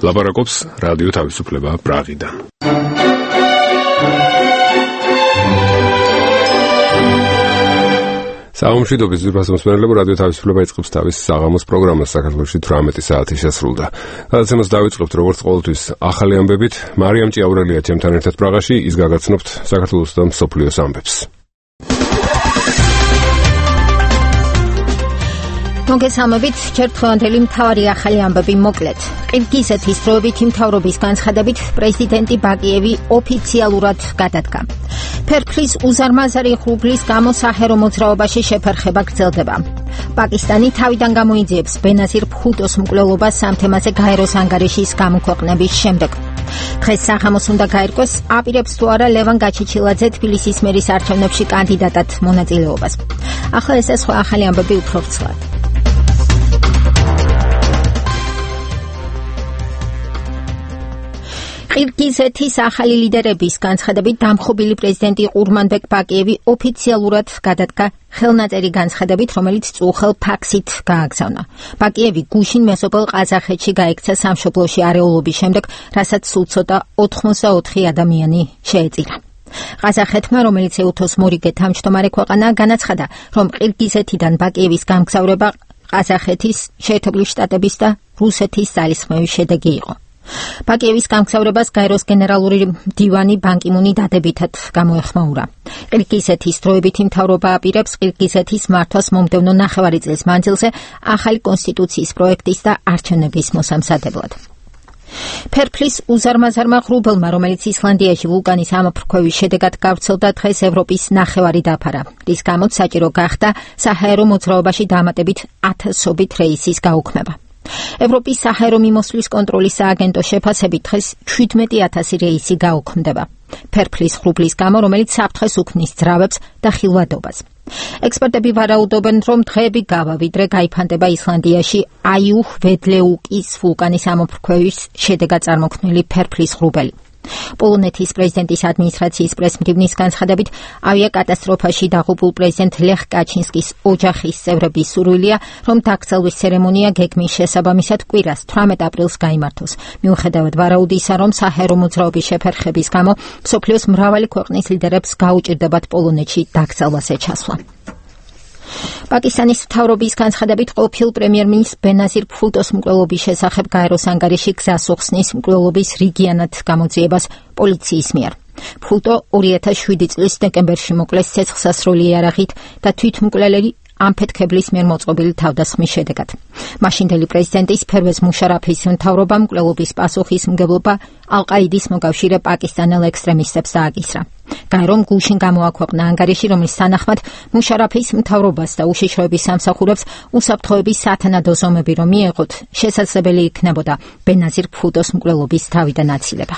ლაპარაკობს რადიო თავისუფლება პრაღიდან. საომშვიდობის ძვირფას მოსმენელებო, რადიო თავისუფლება იწყებს თავის საღამოს პროგრამას. საქართველოში 18 საათი შესრულდა. გადაცემას დავიწყებთ როგორც ყოველთვის ახალი ამბებით. მარიამ ჭიაურელია ჩემთან ერთად პრაღაში, ის გაგაცნობთ საქართველოს და მსოფლიოს ამბებს. მოგესალმებით, ჯერ დღევანდელი მთავარი ახალი ამბები მოკლედ. ყირგიზეთის დროებითი მთავრობის განცხადებით პრეზიდენტი ბაკიევი ოფიციალურად გადადგა. ფერფლის უზარმაზარი ღრუბლის გამო საჰაერო მოძრაობაში შეფერხება გრძელდება. პაკისტანი თავიდან გამოიძიებს ბენაზირ ბჰუტოს მკვლელობას ამ თემაზე გაეროს ანგარიშის გამოქვეყნების შემდეგ. დღეს საღამოს უნდა გაირკვეს, აპირებს თუ არა ლევან გაჩეჩილაძე თბილისის მერის არჩევნებში კანდიდატად მონაწილეობას. ახლა ეს სხვა ახალი ამბები უფრო ვრცლად. ყირგიზეთის ახალი ლიდერების განცხადებით დამხობილი პრეზიდენტი ყურმანბეკ ბაკიევი ოფიციალურად გადადგა ხელნაწერი განცხადებით, რომელიც წუხელ ფაქსით გააგზავნა. ბაკიევი გუშინ მეზობელ ყაზახეთში გაიქცა სამშობლოში არეულობის შემდეგ, რასაც სულ ცოტა 84 ადამიანი შეეწირა. ყაზახეთმა, რომელიც ეუთოს მორიგე თავმჯდომარე ქვეყანაა, განაცხადა, რომ ყირგიზეთიდან ბაკიევის გამგზავრება ყაზახეთის, შეერთებული შტატების და რუსეთის ძალისხმევის შედეგი იყო. ბაკიევის გამგზავრებას გაეროს გენერალური მდივანი ბან კი მუნი დადებითად გამოეხმაურა. ყირგიზეთის დროებითი მთავრობა აპირებს ყირგიზეთის მართვას მომდევნო ნახევარი წლის მანძილზე ახალი კონსტიტუციის პროექტის და არჩევნების მოსამზადებლად. ფერფლის უზარმაზარმა ღრუბელმა, რომელიც ისლანდიაში ვულკანის ამოფრქვევის შედეგად გავრცელდა, დღეს ევროპის ნახევარი დაფარა, რის გამოც საჭირო გახდა საჰაერო მოძრაობაში დამატებით 1000-ობით რეისის გაუქმება. ევროპის საჰაერო მიმოსვლის კონტროლის სააგენტო შეფასებით დღეს 17,000 რეისი გაუქმდება. ფერფლის ღრუბლის გამო, რომელიც საფრთხეს უქმნის ძრავებს და ხილვადობას. ექსპერტები ვარაუდობენ, რომ დღეები გავა, ვიდრე გაიფანტება ისლანდიაში აიუჰ-ვედლეუკის ვულკანის ამოფრქვევის შედეგად წარმოქმნილი ფერფლის ღრუბელი. პოლონეთის პრეზიდენტის ადმინისტრაციის პრესმდივნის განცხადებით, ავიაკატასტროფაში დაღუპულ პრეზიდენტ ლეხ კაჩინსკის ოჯახის წევრების სურვილია, რომ დაკრძალვის ცერემონია გეგმის შესაბამისად კვირას 18 აპრილს გაიმართოს. მიუხედავად ვარაუდისა, რომ საჰაერო მოძრაობის შეფერხების გამო მსოფლიოს მრავალი ქვეყნის ლიდერებს გაუჭირდებათ პოლონეთში დაკრძალვაზე ჩასვლა. პაკისტანის მთავრობის განცხადებით, ყოფილ პრემიერ-მინისტრ ბენაზირ ბჰუტოს მკვლელობის შესახებ გაეროს ანგარიში გზას უხსნის მკვლელობის რიგიანად გამოძიებას პოლიციის მიერ. ბჰუტო 2007 წლის დეკემბერში მოკლეს ცეცხლსასროლი იარაღით და თვითმკვლელი ამფეთქებლის მიერ მოწყობილი თავდასხმის შედეგად. მაშინდელი პრეზიდენტის ფერვეზ მუშარაფის მთავრობამ მკვლელობის პასუხისმგებლობა ალ-ყაიდის მოკავშირე პაკისტანელ ექსტრემისტებს დააკისრა. გაერომ გუშინ გამოაქვეყნა ანგარიში, რომლის თანახმად მუშარაფის მთავრობას და უშიშროების სამსახურებს უსაფრთხოების სათანადო ზომები რომ მიეღოთ, შესაძლებელი იქნებოდა ბენაზირ ბჰუტოს მკვლელობის თავიდან აცილება.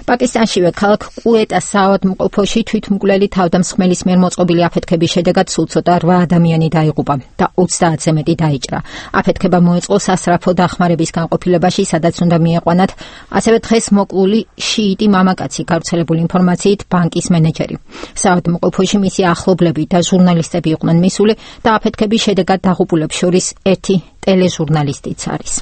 პაკისტანშივე ქალაქ კუეტას საავადმყოფოში თვითმკვლელი თავდამსხმელის მიერ მოწყობილი აფეთქების შედეგად სულ ცოტა 8 ადამიანი დაიღუპა და 30-ზე მეტი დაიჭრა. აფეთქება მოეწყო სასწრაფო დახმარების განყოფილებაში, სადაც უნდა მieყვანათ ასევე დღეს მოკლული შიიტი მამაკაცი, გავრცელებული ინფორმაციით ბანკის მენეჯერი. საავადმყოფოში მისი ახლობლები და ჟურნალისტები იყვნენ მისული და აფეთქების შედეგად დაღუპულებს შორის ერთი ტელეჟურნალისტიც არის.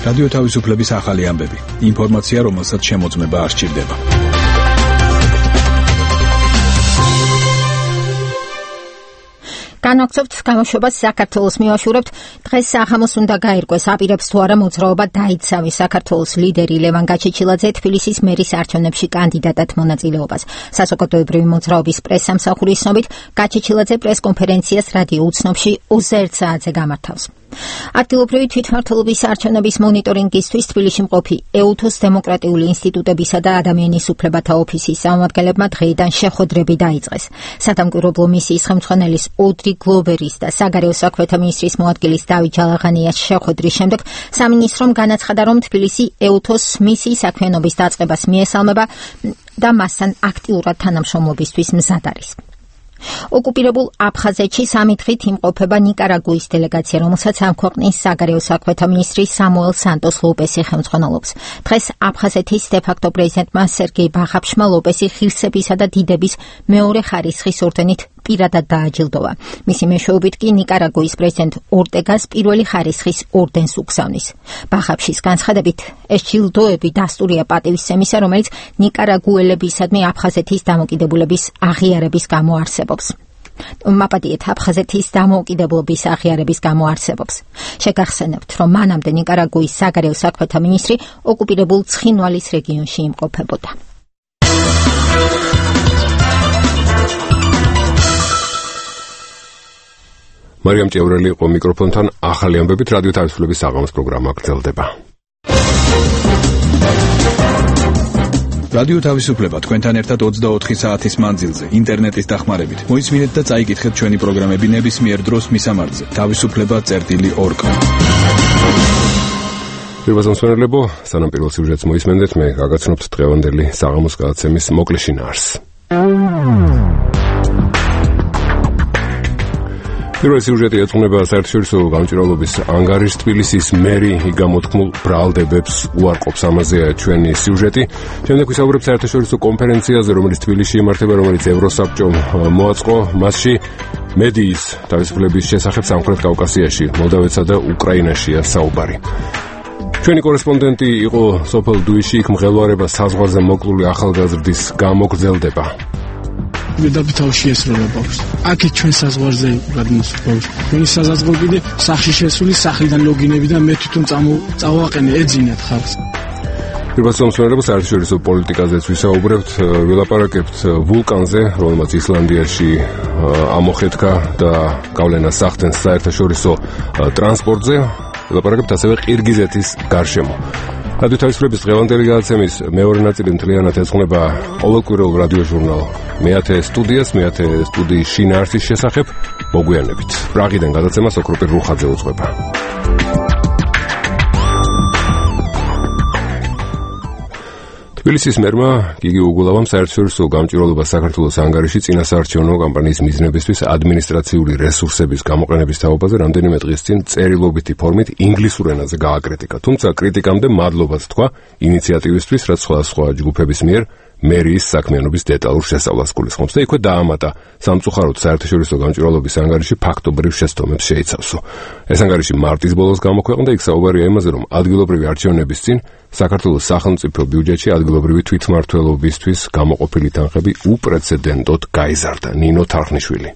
რადიო თავისუფლების ახალი ამბები. ინფორმაცია, რომელსაც შემოწმება არ სჭირდება. განვაგრძობთ გამოშვებას საქართველოს მივაშურებთ. დღეს საღამოს უნდა გაირკვეს, აპირებს თუ არა მოძრაობა დაიცავი საქართველოს ლიდერი ლევან გაჩეჩილაძე თბილისის მერის არჩევნებში კანდიდატად მონაწილეობას. საზოგადოებრივი მოძრაობის პრესსამსახურის ცნობით, გაჩეჩილაძე პრესკონფერენციას რადიო უცნობში 21 საათზე გამართავს. ადგილობრივი თვითმმართველობის არჩევნების მონიტორინგისთვის თბილისში მყოფი ეუთოს დემოკრატიული ინსტიტუტებისა და ადამიანის უფლებათა ოფისის წარმომადგენლებმა დღეიდან შეხვედრები დაიწყეს. სადამკვირვებლო მისიის ხელმძღვანელის ოდრი გლოვერის და საგარეო საქმეთა მინისტრის მოადგილის დავით ჯალაღანიას შეხვედრის შემდეგ სამინისტრომ განაცხადა, რომ თბილისი ეუთოს მისიის საქმიანობის დაწყებას მიესალმება და მასთან აქტიურად თანამშრომლობისთვის მზად არის. ოკუპირებულ აფხაზეთში სამი დღით იმყოფება ნიკარაგუის დელეგაცია, რომელსაც ამ ქვეყნის საგარეო საქმეთა მინისტრი სამუელ სანტოს ლოპესი ხელმძღვანელობს. დღეს აფხაზეთის დე-ფაქტო პრეზიდენტმა სერგეი ბაღაფშმა ლოპესი ღირსებისა და დიდების მეორე ხარისხის ორდენით პირადად დააჯილდოვა. მისი მეშვეობით კი ნიკარაგუის პრეზიდენტ ორტეგას პირველი ხარისხის ორდენს უგზავნის. ბახაფშის განცხადებით, ეს ჯილდოები დასტურია პატივისცემისა, რომელიც ნიკარაგუელებისადმი აფხაზეთის დამოუკიდებლობის აღიარების გამო არსებობს. მაპატიეთ აფხაზეთის დამოუკიდებლობის აღიარების გამო არსებობს. შეგახსენებთ, რომ მანამდე ნიკარაგუის საგარეო საქმეთა მინისტრი ოკუპირებულ ცხინვალის რეგიონში იმყოფებოდა. მარიამ ჭიაურელი იყო მიკროფონთან. ახალი ამბებით რადიო თავისუფლების საღამოს პროგრამა გრძელდება. რადიო თავისუფლება თქვენთან ერთად 24 საათის მანძილზე ინტერნეტის დახმარებით. მოისმინეთ და წაიკითხეთ ჩვენი პროგრამები ნებისმიერ დროს მისამართზე. თავისუფლება.org. პირველ მსმენელებო, სანამ პირველ სიუჟეტს მოისმენდეთ, მე გაგაცნობთ დღევანდელი საღამოს გადაცემის მოკლე შინაარსს. პირველი სიუჟეტი ეძღვნება საერთაშორისო გამჭვირვალობის ანგარიშს თბილისის მერი გამოთქმულ ბრალდებებს უარყოფს. ამაზეა ჩვენი სიუჟეტი. შემდეგ ვისაუბრებ საერთაშორისო კონფერენციაზე, რომელიც თბილისში იმართება, რომელიც ევროსაბჭომ მოაწყო. მასში მედიის თავისუფლების შესახებ სამხრეთ კავკასიაში, მოლდავეთსა და უკრაინაშია საუბარი. ჩვენი კორესპონდენტი იყო სოფელ დუიში, იქ მღელვარება საზღვარზე მოკლული ახალგაზრდის გამო გრძელდება. დედაბითავში ესროლა ბავშვს. აქეთ ჩვენ საზღვარზე გადმოს ბავშვს. ჩვენი საზაზღვრო კიდე სახში შესული სახლიდან ლოგინები და მე თვითონ წავაყენე ეძინათ ხალხს. პირველ მსმენელებს საერთაშორისო პოლიტიკაზეც ვისაუბრებთ, ვილაპარაკებთ ვულკანზე, რომელმაც ისლანდიაში ამოხეთქა და გავლენას ახდენს საერთაშორისო ტრანსპორტზე. ვილაპარაკებთ ასევე ყირგიზეთის გარშემო. რადიო თავისუფლების დღევანდელი გადაცემის მეორე ნაწილი მთლიანად ეძღვნება ყოველკვირეულ რადიო ჟურნალ მეათე სტუდიის შინაარსის შესახებ. მოგვიანებით. პრაღიდან გადაცემას ოქროპირ რუხაძე უძღვება. თბილისის მერმა გიგი უგულავამ საერთაშორისო გამჭვირვალობას საქართველოს ანგარიში წინასაარჩევნო კამპანიის მიზნებისთვის ადმინისტრაციული რესურსების გამოყენების თაობაზე რამდენიმე დღის წინ წერილობითი ფორმით ინგლისურ ენაზე გააკრიტიკა. თუმცა კრიტიკამდე მადლობას თქვა ინიციატივისთვის, რაც სხვადასხვა ჯგუფების მიერ მერიის საქმიანობის დეტალურ შესწავლას გულისხმობს და იქვე დაამატა სამწუხაროდ საერთაშორისო გამჭვირვალობის ანგარიში ფაქტობრივ შეცდომებს შეიცავსო. ეს ანგარიში მარტის ბოლოს გამოქვეყნდა, იქ საუბარია იმაზე, რომ ადგილობრივი არჩევნების წინ საქართველოს სახელმწიფო ბიუჯეტში ადგილობრივი თვითმმართველობისთვის გამოყოფილი თანხები უპრეცედენტოდ გაიზარდა. ნინო თარხნიშვილი.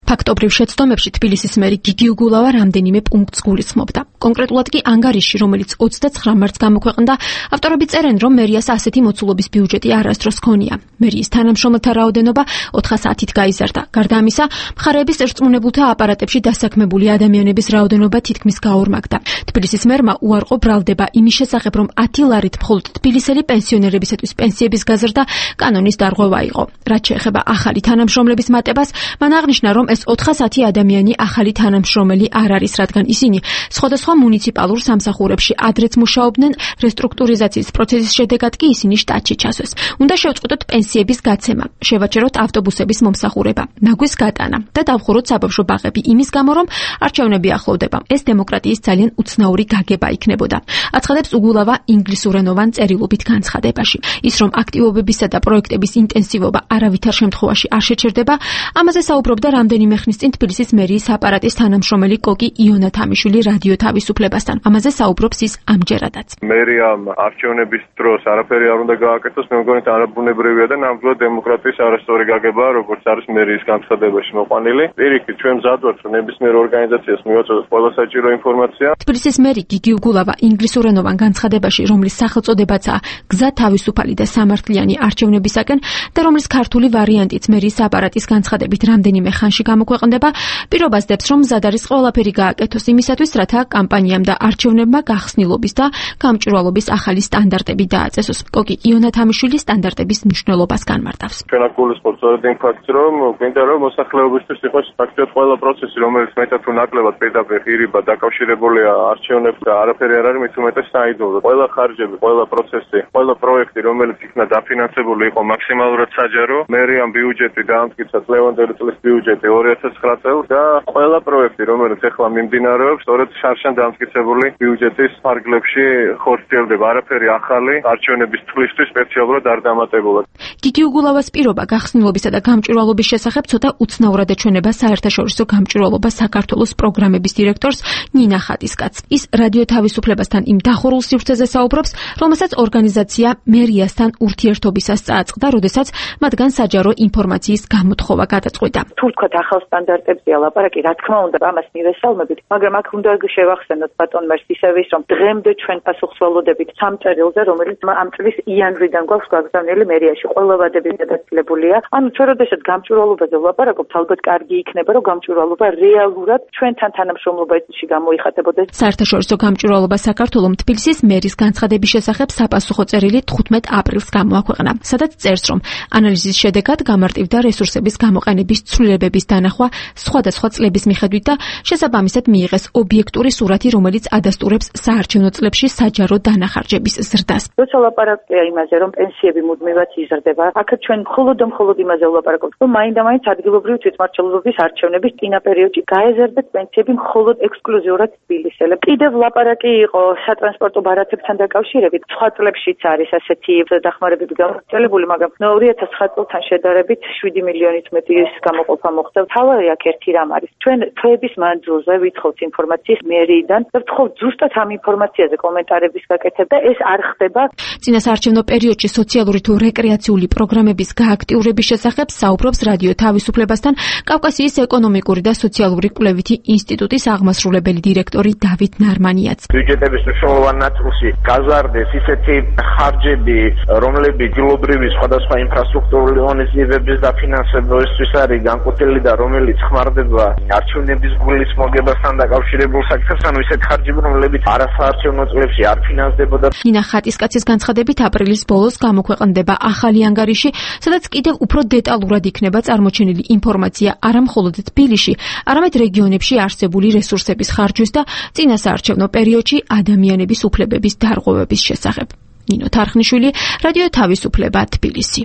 ფაქტობრივ შეცდომებში თბილისის მერი გიგი უგულავა რამდენიმე პუნქტს გულისხმობდა. კონკრეტულად კი ანგარიში, რომელიც 29 მარტს გამოქვეყნდა, ავტორები წერენ, რომ მერიას ასეთი მოცულობის ბიუჯეტი არასდროს ჰქონია. მერიის თანამშრომელთა რაოდენობა 400-ით გაიზარდა. გარდა ამისა, მხარეების ერწყმუნებულთა აპარატებში დასაქმებული ადამიანების რაოდენობა თითქმის გაორმაგდა. თბილისის მერმა უარყო ბრალდება იმის შესახებ, რომ 10 ლარით მხოლოდ თბილისელი პენსიონერებისათვის პენსიების გაზრდა კანონის დარღვევა იყო. რაც შეეხება ახალი თანამშრომლების მატებას, მან აღნიშნა, რომ ეს 410 ადამიანი ახალი თანამშრომელი არ არის, რადგან ისინი სხვადასხვა მუნიციპალურ სამსახურებში ადრეც მუშაობდნენ, რესტრუქტურიზაციის პროცესის შედეგად კი ისინი შტატში ჩასვეს. უნდა შევწყვეტოთ პენსიების გაცემა, შევაჩეროთ ავტობუსების მომსახურება, ნაგვის გატანა და დავხუროთ საბავშვო ბაღები იმის გამო, რომ არჩევნები ახლოვდება. ეს დემოკრატიის ძალიან უცნაური გაგება იქნებოდა. აცხადებს უგულავა ინგლისურენოვან წერილობით განცხადებაში. ის, რომ აქტივობებისა და პროექტების ინტენსივობა არავითარ შემთხვევაში არ შეჩერდება, ამაზე საუბრობდა რამდენიმე ხნის წინ თბილისის მერიის აპარატის თანამშრომელი კოკი იონა თამიშვილი რადიო თავისუფლებასთან. ამაზე საუბრობს ის ამჯერადაც. მერიამ არჩევნების დროს არაფერი არ უნდა გააკეთოს, მე მგონი არაბუნებრივია და ნამდვილად დემოკრატიის არასწორი გაგება, როგორც არის მერიის განცხადებაში მოყვანილი. პირიქით, ჩვენ მზად ვართ, რომ ნებისმიერ ორგანიზაციას მივაწოდოთ ყველა საჭირო ინფორმაცია. თბილისის მერი გიგი უგულავა ინგლისურენოვან განცხადებაში, რომლის სახელწოდებაცაა გზა თავისუფალი და სამართლიანი არჩევნებისაკენ და რომლის ქართული ვარიანტიც მერიის აპარატის განცხადებით რამდენიმე ხანში გამოქვეყნდება, პირობას დებს, რომ მზად არის ყველაფერი გააკეთოს იმისათვის, რათა კამპანიამ და არჩევნებმა გახსნილობის და გამჭვირვალობის ახალი სტანდარტები დააწესოს. კოკი იონა თამიშვილი სტანდარტების მნიშვნელობას განმარტავს. ჩვენ აქ გულისხმობთ სწორედ იმ ფაქტს, რომ გვინდა რომ მოსახლეობისთვის იყოს ფაქტობრივად ყველა პროცესი, რომელიც მეტად თუ ნაკლებად პირდაპირ ღირიბა დაკავშირებულია არჩევნებთან და არაფერი არ არის მით უმეტეს საიდუმლო. ყველა ხარჯები, ყველა პროცესი, ყველა პროექტი, რომელიც იქნა დაფინანსებული იყო მაქსიმალურად საჯარო, მერიამ ბიუჯეტი დაამტკიცა წლევანდელი წლის ბიუჯეტი 2009 წელს და ყველა პროექტი, რომელიც ახლა მიმდინარეობს, სწორედ შარშან დამტკიცებული ბიუჯეტის ფარგლებში ხორციელდება. არაფერი ახალი არჩევნების თვლისთვის სპეციალურად არ დამატებულა. გიგი უგულავას პირობა გახსნილობისა და გამჭვირვალობის შესახებ ცოტა უცნაურად ეჩვენება საერთაშორისო გამჭვირვალობა საქართველოს პროგრამების დირექტორს ნინა ხატისკაცს. ის რადიო თავისუფლებასთან იმ დახურულ სივრცეზე საუბრობს, რომელსაც ორგანიზაცია მერიასთან ურთიერთობისას წააწყდა, როდესაც მათგან საჯარო ინფორმაციის გამოთხოვა გადაწყვიტა. თუ ვთქვათ ახალ სტანდარტებზეა ლაპარაკი, რა თქმა უნდა, ამას მივესალმებით, მაგრამ აქ უნდა შევახსენოთ ბატონ მერს ისევ ის, რომ დღემდე ჩვენ პასუხს ველოდებით 3 წერილზე, რომელიც ამ წლის იანვრიდან გვაქვს გაგზავნილი მერიაში. ყველა ვადები გადაწილებულია. ანუ ჩვენ როდესაც გამჭვირვალობაზე ვლაპარაკობთ, ალბათ კარგი იქნება, რომ გამჭვირვალობა რეალურად ჩვენთან თანამშრომლობაში გამოიხატებოდეს. საერთაშორისო გამჭვირვალობა საქართველოს თბილისის მერის განცხადების შესახებ საპასუხო წერილი 15 აპრილს გამოაქვეყნა, სადაც წერს, რომ ანალიზის შედეგად გამარტივდა რესურსების გამოყენების ცვლილებების დანახვა სხვადასხვა წლების მიხედვით და შესაბამისად მიიღეს ობიექტური სურათი, რომელიც ადასტურებს საარჩევნო წლებში საჯარო დანახარჯების ზრდას. როცა ლაპარაკია იმაზე, რომ პენსიები მუდმივად იზრდება, აქ ჩვენ მხოლოდ იმაზე ვლაპარაკობთ, რომ მაინდა-მაინც ადგილობრივი თვითმმართველობის არჩევნების წინა პერიოდში გაეზარდათ პენსიები მხოლოდ ექსკლუზიურად თბილისელებს. კიდევ ლაპარაკი იყო სატრანსპორტო ბარათებთან დაკავშირებით. სხვა წლებშიც არის ასეთი დახმარებები გამოცხადებული, მაგრამ 2009 წელთან შედარებით 7 მილიონით მეტი გამოყოფა მოხდა. თავი აქ ერთი რამ არის. ჩვენ თვეების მანძილზე ვითხოვთ ინფორმაციის მერიიდან და ვთხოვთ ზუსტად ამ ინფორმაციაზე კომენტარების გაკეთება და ეს არ ხდება. წინა საარჩევნო პერიოდში სოციალური თუ რეკრეაციული პროგრამების გააქტიურების შესახებ საუბრობს რადიო თავისუფლებასთან კავკასიის ეკონომიკური და სოციალური კვლევითი ინსტიტუტის აღმასრულებელი დირექტორი დავით ნარმანიაც. ბიუჯეტების მნიშვნელოვანი ნაწილში გაზარდეს ისეთი ხარჯები, რომლებიც ადგილობრივი სხვადასხვა ინფრასტრუქტურული ღონისძიებების დაფინანსებისთვის არის განკუთვნილი და რომელიც ხმარდება არჩევნების გულის მოგებასთან დაკავშირებულ საკითხებს, ანუ ისეთ ხარჯები, რომლებიც არასაარჩევნო წლებში არ ფინანსდებოდა. ნინა ხატისკაცის განცხადებით აპრილის ბოლოს გამოქვეყნდება ახალი ანგარიში, სადაც კიდევ უფრო დეტალურად იქნება წარმოჩენილი ინფორმაცია არა მხოლოდ თბილისში, არამედ რეგიონებში არსებული რესურსების ხარჯვის და წინა საარჩევნო პერიოდში ადამიანების უფლებების დარღვევების შესახებ. ნინო თარხნიშვილი, რადიო თავისუფლება, თბილისი.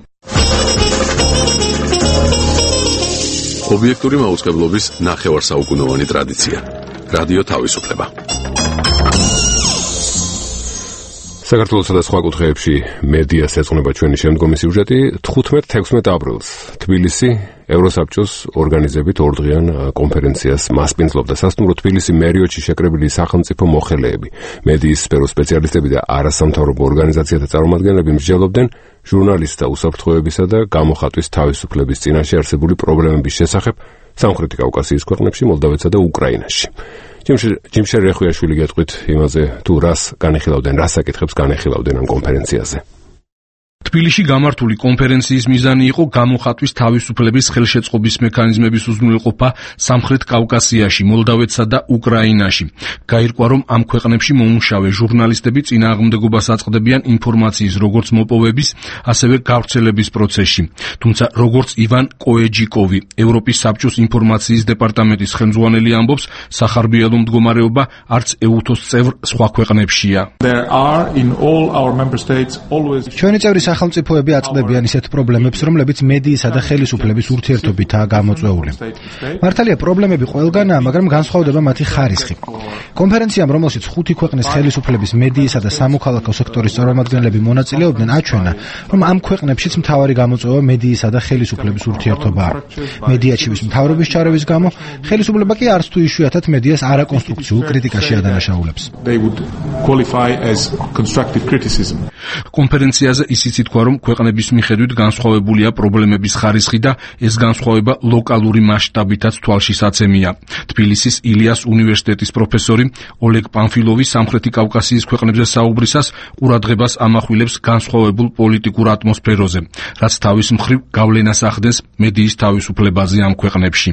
ობიექტური მაუწყებლობის ნახევარსაუკუნოვანი ტრადიცია. რადიო თავისუფლება. საქართველოსა და სხვა კუთხეებში მედიას ეძღვნება ჩვენი შემდგომი სიუჟეტი. 15-16 აპრილს თბილისი ევროსაბჭოს ორგანიზებით ორდღიან კონფერენციას მასპინძლობდა. სასტუმრო თბილისი მერიოში შეკრებილი სახელმწიფო მოხელეები, მედიის სფეროს სპეციალისტები და არასამთავრობო ორგანიზაციათა წარმომადგენლები მსჯელობდნენ ჟურნალისტთა უსაფრთხოებისა და გამოხატვის თავისუფლების წინაშე არსებული პრობლემების შესახებ სამხრეთი კავკასიის ქვეყნებში, მოლდავეთსა და უკრაინაში. ჯიმშერ რეხვიაშვილი გეტყვით იმაზე, თუ რას განეხილავდნენ, რას საკითხებს განეხილავდნენ ამ კონფერენციაზე. თბილისში გამართული კონფერენციის მიზანი იყო გამოხატვის თავისუფლების ხელშეწყობის მექანიზმების უზრუნველყოფა სამხრეთ კავკასიაში, მოლდავეთსა და უკრაინაში. გაირკვა, რომ ამ ქვეყნებში მომუშავე ჟურნალისტები წინააღმდეგობას აწყდებიან ინფორმაციის როგორც მოპოვების, ასევე გავრცელების პროცესში. თუმცა, როგორც ივან კოეჯიკოვი, ევროპის საბჭოს ინფორმაციის დეპარტამენტის ხელმძღვანელი ამბობს, სახარბიელო მდგომარეობა არც ეუთოს წევრ სხვა ქვეყნებშია. ჩვენი წევრი სახელმწიფოები აწყდებიან ისეთ პრობლემებს, რომლებიც მედიისა და ხელისუფლების ურთიერთობითაა გამოწვეული. მართალია, პრობლემები ყველგანაა, მაგრამ განსხვავდება მათი ხარისხი. კონფერენციამ, რომელშიც 5 ქვეყნის ხელისუფლების, მედიისა და სამოქალაქო სექტორის წარმომადგენლები მონაწილეობდნენ, აჩვენა, რომ ამ ქვეყნებშიც მთავარი გამოწვევა მედიისა და ხელისუფლების ურთიერთობაა. მედიაჩივის მთავრობის ჩარევის გამო, ხელისუფლება კი არც თუ იშვიათად მედიას არაკონსტრუქციულ კრიტიკაში ადანაშაულებს. კონფერენციაზე ისიც ითქვა, რომ ქვეყნების მიხედვით განსხვავებულია პრობლემების ხარისხი და ეს განსხვავება ლოკალური მასშტაბითაც თვალშისაცემია. თბილისის ილიას უნივერსიტეტის პროფესორი ოლეგ პანფილოვი სამხრეთი კავკასიის ქვეყნებზე საუბრისას ყურადღებას ამახვილებს განსხვავებულ პოლიტიკურ ატმოსფეროზე, რაც თავის მხრივ გავლენას ახდენს მედიის თავისუფლებაზე ამ ქვეყნებში.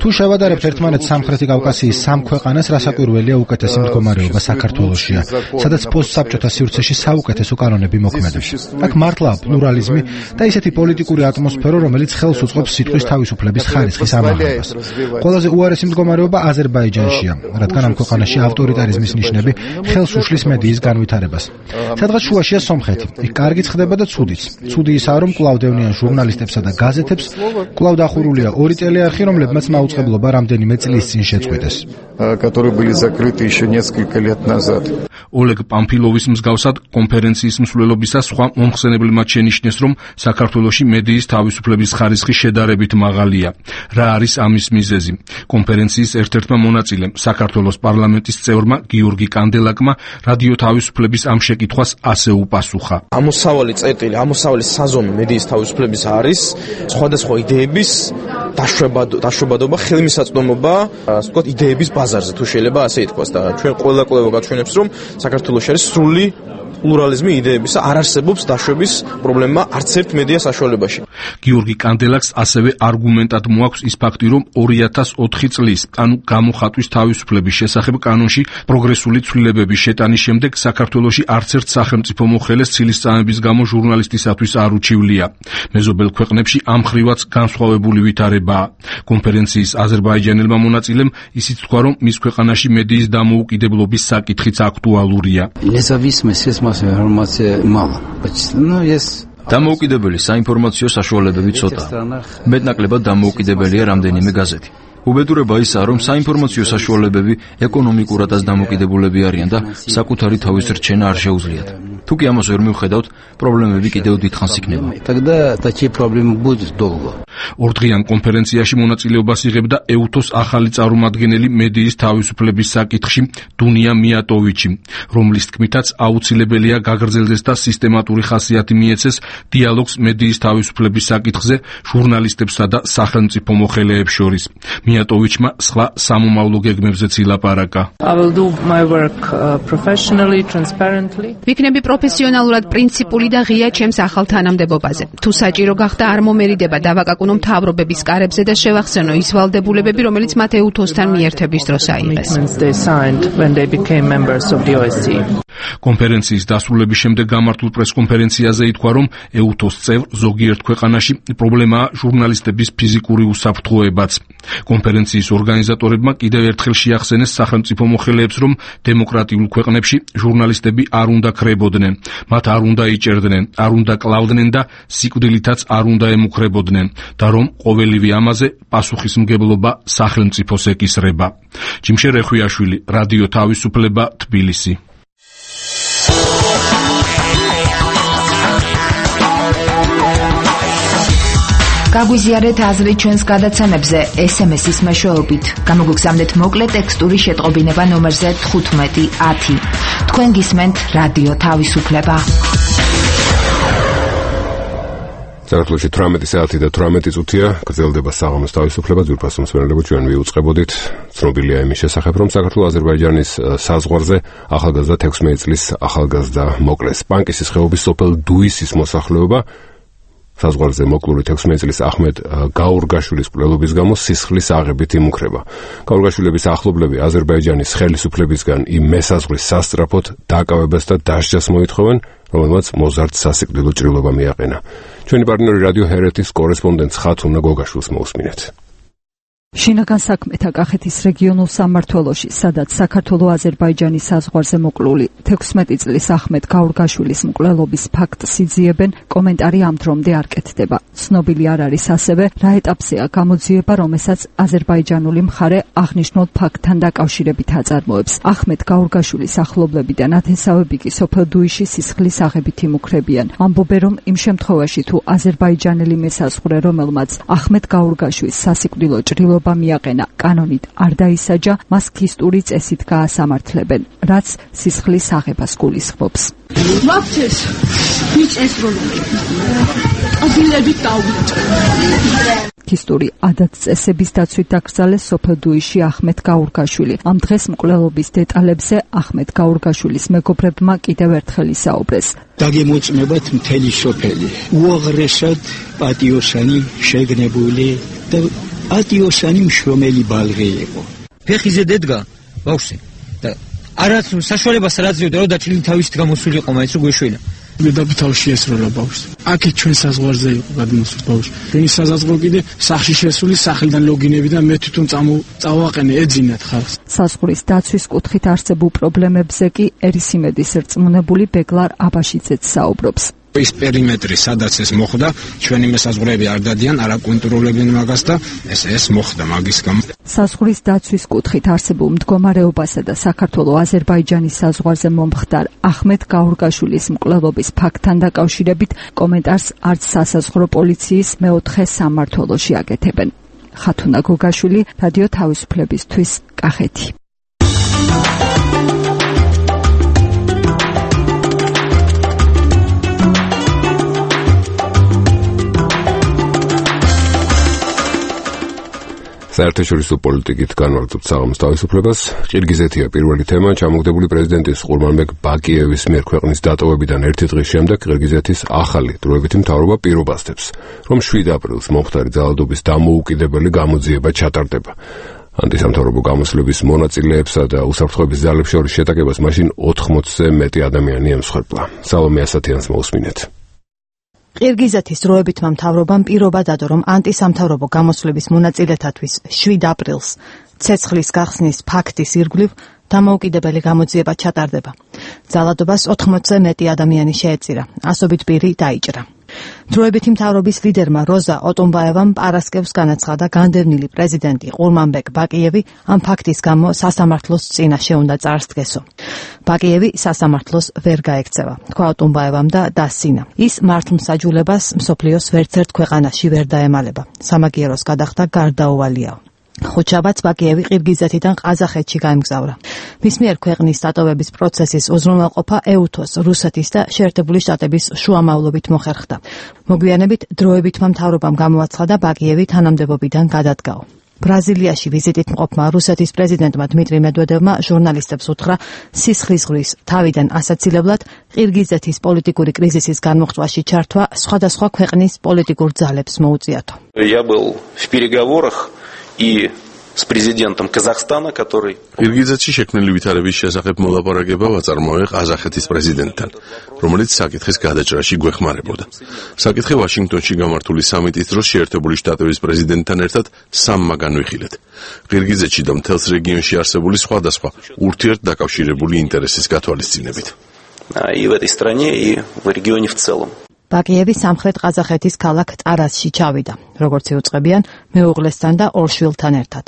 თუ შევადარებთ ერთმანეთს სამხრეთი კავკასიის 3 ქვეყანას, რასაკვირველია უკეთესი მდგომარეობა საქართველოშია, სადაც საბჭოთა სივრცეში საუკეთესო კანონები მოქმედებს. აქ მართლა პლურალიზმი და ისეთი პოლიტიკური ატმოსფერო, რომელიც ხელს უწყობს სიტყვის თავისუფლების ხარისხის ამაღლებას. ყველაზე უარესი მდგომარეობა აზერბაიჯანშია, რადგან ამ ქვეყანაში ავტორიტარიზმის ნიშნები ხელს უშლის მედიის განვითარებას. სადღაც შუაშია სომხეთი. იქ კარგიც ხდება და ცუდიც. ცუდი ისაა, რომ კვლავ დევნიან ჟურნალისტებსა და გაზეთებს, კვლავ დახურულია 2 ტელეარხი, რომლებმაც მაუწყებლობა რამდენიმე წლის წინ შეწყვიტეს. которые были закрыты еще несколько лет назад. Олег Памфилოვის მსგავსად კონფერენციის მსვლელობისას სხვა მომხსენებლებმა შენიშნეს, რომ საქართველოში მედიის თავისუფლების ხარისხი შედარებით მაღალია. რა არის ამის მიზეზი? კონფერენციის ერთ-ერთმა მონაწილემ, საქართველოს პარლამენტის წევრმა გიორგი კანდელაკმა რადიო თავისუფლების ამ შეკითხვას ასე უპასუხა. ამოსავალი წერტილი, ამოსავალი საზომი მედიის თავისუფლების არის სხვადასხვა იდეების დაშვებადობა, ხელმისაწვდომობა, ასე ვთქვათ, იდეების ბაზარზე, თუ შეიძლება ასე ითქვას და ჩვენ ყველა კვლევა გაჩვენებს, რომ საქართველოში არის სრული პლურალიზმი იდეებისა, არ არსებობს დაშვების პრობლემა არც ერთ მედია საშუალებაში. გიორგი კანდელაკს ასევე არგუმენტად მოაქვს ის ფაქტი, რომ 2004 წლის, ანუ გამოხატვის თავისუფლების შესახებ კანონში პროგრესული ცვლილებების შეტანის შემდეგ საქართველოში არც ერთ სახელმწიფო მოხელეს ცილისწამების გამო ჟურნალისტისათვის არ უჩივლია. მეზობელ ქვეყნებში ამ ხრივაც განსხვავებული ვითარებაა. კონფერენციის აზერბაიჯანელმა მონაწილემ ისიც თქვა, რომ მის ქვეყანაში მედიის დამოუკიდებლობის საკითხიც აქტუალურია. დამოუკიდებელი საინფორმაციო საშუალებები ცოტაა. მეტნაკლებად დამოუკიდებელია რამდენიმე გაზეთი. უბედურება ისაა, რომ საინფორმაციო საშუალებები ეკონომიკურადაც დამოუკიდებულები არიან და საკუთარი თავის რჩენა არ შეუძლიათ. თუ კი ამას ვერ მივხედავთ, პრობლემები კიდევ დიდხანს იქნება. ორდღიან კონფერენციაში მონაწილეობას იღებდა ეუთოს ახალი წარმომადგენელი მედიის თავისუფლების საკითხში დუნია მიატოვიჩი, რომლის თქმითაც აუცილებელია გაგრძელდეს და სისტემატური ხასიათი მიეცეს დიალოგს მედიის თავისუფლების საკითხზე ჟურნალისტებსა და სახელმწიფო მოხელეებს შორის. მიატოვიჩმა სხვა სამომავლო გეგმებზეც ილაპარაკა. ვიქნები პროფესიონალურად პრინციპული და ღია ჩემს ახალ თანამდებობაზე. თუ საჭირო გახდა არ მომერიდება დავაკაკუნო მთავრობების კარებზე და შევახსენო ის ვალდებულებები, რომელიც მათ ეუთოსთან მიერთების დროს აიღეს. კონფერენციის დასრულების შემდეგ გამართულ პრესკონფერენციაზე ითქვა, რომ ეუთოს წევრ ზოგიერთ ქვეყანაში პრობლემაა ჟურნალისტების ფიზიკური უსაფრთხოებაც. კონფერენციის ორგანიზატორებმა კიდევ ერთხელ შეახსენეს სახელმწიფო მოხელეებს, რომ დემოკრატიულ ქვეყნებში ჟურნალისტები არ უნდა ქრებოდნენ, მათ არ უნდა იჭერდნენ, არ უნდა კლავდნენ და სიკვდილითაც არ უნდა ემუქრებოდნენ და რომ ყოველივე ამაზე პასუხისმგებლობა სახელმწიფოს ეკისრება. ჯიმშე რეხვიაშვილი, რადიო თავისუფლება, თბილისი. გაგვიზიარეთ აზრი ჩვენს გადაცემებზე SMS-ის მეშვეობით. გამოგგზავნეთ მოკლე ტექსტური შეტყობინება ნომერზე 1510. თქვენ გისმენთ რადიო თავისუფლება. საქართველოში 18 საათი და 18 წუთია გრძელდება საღამოს თავისუფლება. ძვირფას მსმენელებო, ჩვენ ვიუწყებოდით ცნობილია იმის შესახებ, რომ საქართველოს-აზერბაიჯანის საზღვარზე ახალგაზრდა 16 წლის ახალგაზრდა მოკლეს. პანკისის ხეობის სოფელ დუისის მოსახლეობა საზღვარზე მოკლული 16 წლის ახმედ გაურგაშვილის მკვლელობის გამო სისხლის აღებით იმუქრება. გაურგაშვილების ახლობლები აზერბაიჯანის ხელისუფლებისგან იმ მესაზღვრის სასწრაფოდ დაკავებას და დასჯას მოითხოვენ, რომელმაც მოზარდ სასიკვდილო ჭრილობა მიაყენა. ჩვენი პარტნიორი რადიო ჰერეთის კორესპონდენტ ხათუნა გოგაშვილს მოусმინეთ. შინაგან საქმეთა კახეთის რეგიონულ სამმართველოში, სადაც საქართველო-აზერბაიჯანის საზღვარზე მოკლული 16 წლის ახმედ გაურგაშვილის მკვლელობის ფაქტს იძიებენ, კომენტარი ამ დრომდე არ კეთდება. ცნობილი არ არის ასევე, რა ეტაპზეა გამოძიება, რომელსაც აზერბაიჯანული მხარე აღნიშნულ ფაქტთან დაკავშირებით აწარმოებს. ახმედ გაურგაშვილის ახლობლები და ნათესავები კი სოფელ დუიში სისხლის აღებით იმუქრებიან. ამბობენ, რომ იმ შემთხვევაში თუ აზერბაიჯანელი მესაზღვრე, რომელმაც ახმედ გაურგაშვილის სასიკვდილო ჭრილობა მიაყენა, კანონით არ დაისაჯა, მას ქისტური წესით გაასამართლებენ, რაც სისხლის აღებას გულისხმობს. მათეს ვიჭეს რომ ადგილებით დავიჭრე. ქისტური ადათ-წესების დაცვით დაკრძალეს სოფელ დუიში ახმედ გაურგაშვილი. ამ დღეს მკვლელობის დეტალებზე ახმედ გაურგაშვილის მეგობრებმა კიდევ ერთხელ ისაუბრეს. დაგემოწმებათ მთელი სოფელი. უაღრესად პატიოსანი შეგნებული და პატიოსანი მშრომელი ბალღი იყო. ფეხიზე დედგა ბავშვი და არაც საშუალებას რაც ზიოდა რომ დაჩილი თავისით გამოსულიყო მაინც უგვეშველა მედაბი თავში ესროლა ბავშვს აქეთ ჩვენ საზღვარზე იყო გადმოსული ბავშვი ჩვენი საზღვარო კიდე სახში შესული სახლიდან ლოგინები და მე თვითონ წავაყენე ეძინათ ხალხს საზღვრის დაცვის კუთხით არსებულ პრობლემებზე კი ერისიმედის რწმუნებული ბეგლარ აბაშიძეც საუბრობს ის პერიმეტრი სადაც ეს მოხდა ჩვენი მესაზღვრეები არ დადიან არ აკონტროლებენ მაგას და ეს მოხდა მაგის გამო საზღვრის დაცვის კუთხით არსებულ მდგომარეობასა და საქართველო-აზერბაიჯანის საზღვარზე მომხდარ ახმედ გაურგაშვილის მკვლელობის ფაქტთან დაკავშირებით კომენტარს არც სასაზღვრო პოლიციის მეოთხე სამმართველოში აკეთებენ ხათუნა გოგაშვილი რადიო თავისუფლებისთვის კახეთი საერთაშორისო პოლიტიკით განვაგრძობთ საღამოს თავისუფლებას. ყირგიზეთია პირველი თემა. ჩამოგდებული პრეზიდენტის ყურმანბეგ ბაკიევის მიერ ქვეყნის დატოვებიდან ერთი დღის შემდეგ ყირგიზეთის ახალი დროებითი მთავრობა პირობასდებს, რომ 7 აპრილს მომხდარი ძალადობის დამოუკიდებელი გამოძიება ჩატარდება. ანტისამთავრობო გამოსვლების მონაწილეებსა და უსაფრთხოების ძალებს შორის შეტაკებას მაშინ 80-ზე მეტი ადამიანი ემსხვერპლა. სალომე ასათიანს მოусმინეთ. ყირგიზეთის დროებითმა მთავრობამ პირობა დადო, რომ ანტისამთავრობო გამოსვლების მონაწილეთათვის 7 აპრილს ცეცხლის გახსნის ფაქტის ირგვლივ დამოუკიდებელი გამოძიება ჩატარდება. ძალადობას 80-ზე მეტი ადამიანი შეეწირა, ასობით პირი დაიჭრა. დროებითი მთავრობის ლიდერმა როზა ოტონბაევამ პარასკევს განაცხადა, განდევნილი პრეზიდენტი ყურმანბეგ ბაკიევი ამ ფაქტის გამო სასამართლოს წინაშე უნდა წარსდგესო. ბაკიევი სასამართლოს ვერ გაექცევა, თქვა ოტონბაევამ და დასცინა. ის მართლმსაჯულებას მსოფლიოს ვერცერთ ქვეყანაში ვერ დაემალება. სამაგიეროს გადახდა გარდაუვალიაო. ხუთშაბათს ბაკიევი ყირგიზეთიდან ყაზახეთში გაემგზავრა. მის მიერ ქვეყნის დატოვების პროცესის უზრუნველყოფა ეუთოს, რუსეთის და შეერთებული შტატების შუამავლობით მოხერხდა. მოგვიანებით დროებითმა მთავრობამ გამოაცხადა ბაკიევი თანამდებობიდან გადადგაო. ბრაზილიაში ვიზიტით მყოფმა რუსეთის პრეზიდენტმა დმიტრი მედვედევმა ჟურნალისტებს უთხრა, სისხლისღვრვის თავიდან ასაცილებლად ყირგიზეთის პოლიტიკური კრიზისის განმოხტვაში ჩართვა სხვადასხვა ქვეყნის პოლიტიკურ ძალებს მოუწიათო. Я был в переговорах и с президентом Казахстана, который ყირგიზეთში შექმნილი ვითარების შესახებ მოლაპარაკება ვაწარმოე ყაზახეთის პრეზიდენტთან, რომელიც საკითხის გადაჭრაში გვეხმარებოდა. საკითხი ვაშინგტონში გამართული სამიტის დროს შეერთებული შტატების პრეზიდენტთან ერთად სამმა განვიხილეთ. ყირგიზეთში და მთელს რეგიონში არსებული სხვადასხვა ურთიერთდაკავშირებული ინტერესის გათვალისწინებით. И в этой стране, и в регионе в целом. ბაკიევი სამხრეთ ყაზახეთის ქალაქ ტარასში ჩავიდა, როგორც იუწყებიან მეუღლესთან და ორ შვილთან ერთად.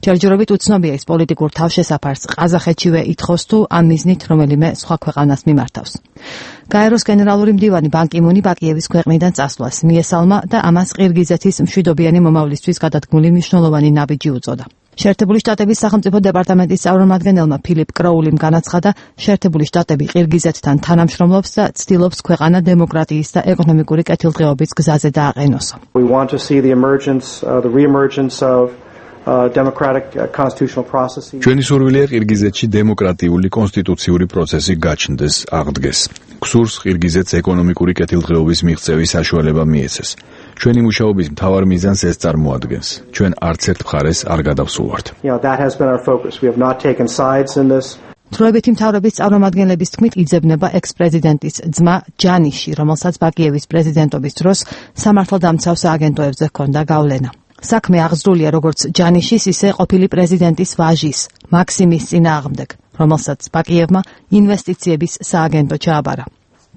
ჯერჯერობით უცნობია ის პოლიტიკურ თავშესაფარს ყაზახეთშივე ითხოვს თუ ამ მიზნით რომელიმე სხვა ქვეყანას მიმართავს. გაეროს გენერალური მდივანი ბან კი მუნი ბაკიევის ქვეყნიდან წასვლას მიესალმა და ამას ყირგიზეთის მშვიდობიანი მომავლისთვის გადადგმული მნიშვნელოვანი ნაბიჯი უწოდა. შეერთებული შტატების სახელმწიფო დეპარტამენტის წარმომადგენელმა ფილიპ კროულიმ განაცხადა, შეერთებული შტატები ყირგიზეთთან თანამშრომლობს და ცდილობს ქვეყანა დემოკრატიის და ეკონომიკური კეთილდღეობის გზაზე დააყენოსო. We want to see the re-emergence of democratic constitutional processes. ჩვენი სურვილია ყირგიზეთში დემოკრატიული კონსტიტუციური პროცესი გაჩნდეს, აღდგეს. გსურს ყირგიზეთს ეკონომიკური კეთილდღეობის მიღწევის საშუალება მიეცეს. ჩვენი მუშაობის მთავარ მიზანს ეს წარმოადგენს. ჩვენ არც ერთ მხარეს არ გადავსულვართ. That has been our focus. We have not taken sides in this. დროებითი მთავრობის წარმომადგენლების თქმით იძებნება ექს-პრეზიდენტის ძმა ჯანიში, რომელსაც ბაკიევის პრეზიდენტობის დროს სამართალდამცავ სააგენტოებზე ჰქონდა გავლენა. საქმე აღძრულია როგორც ჯანიშის, ისე ყოფილი პრეზიდენტის ვაჟის, მაქსიმის წინააღმდეგ, რომელსაც ბაკიევმა ინვესტიციების სააგენტო ჩააბარა.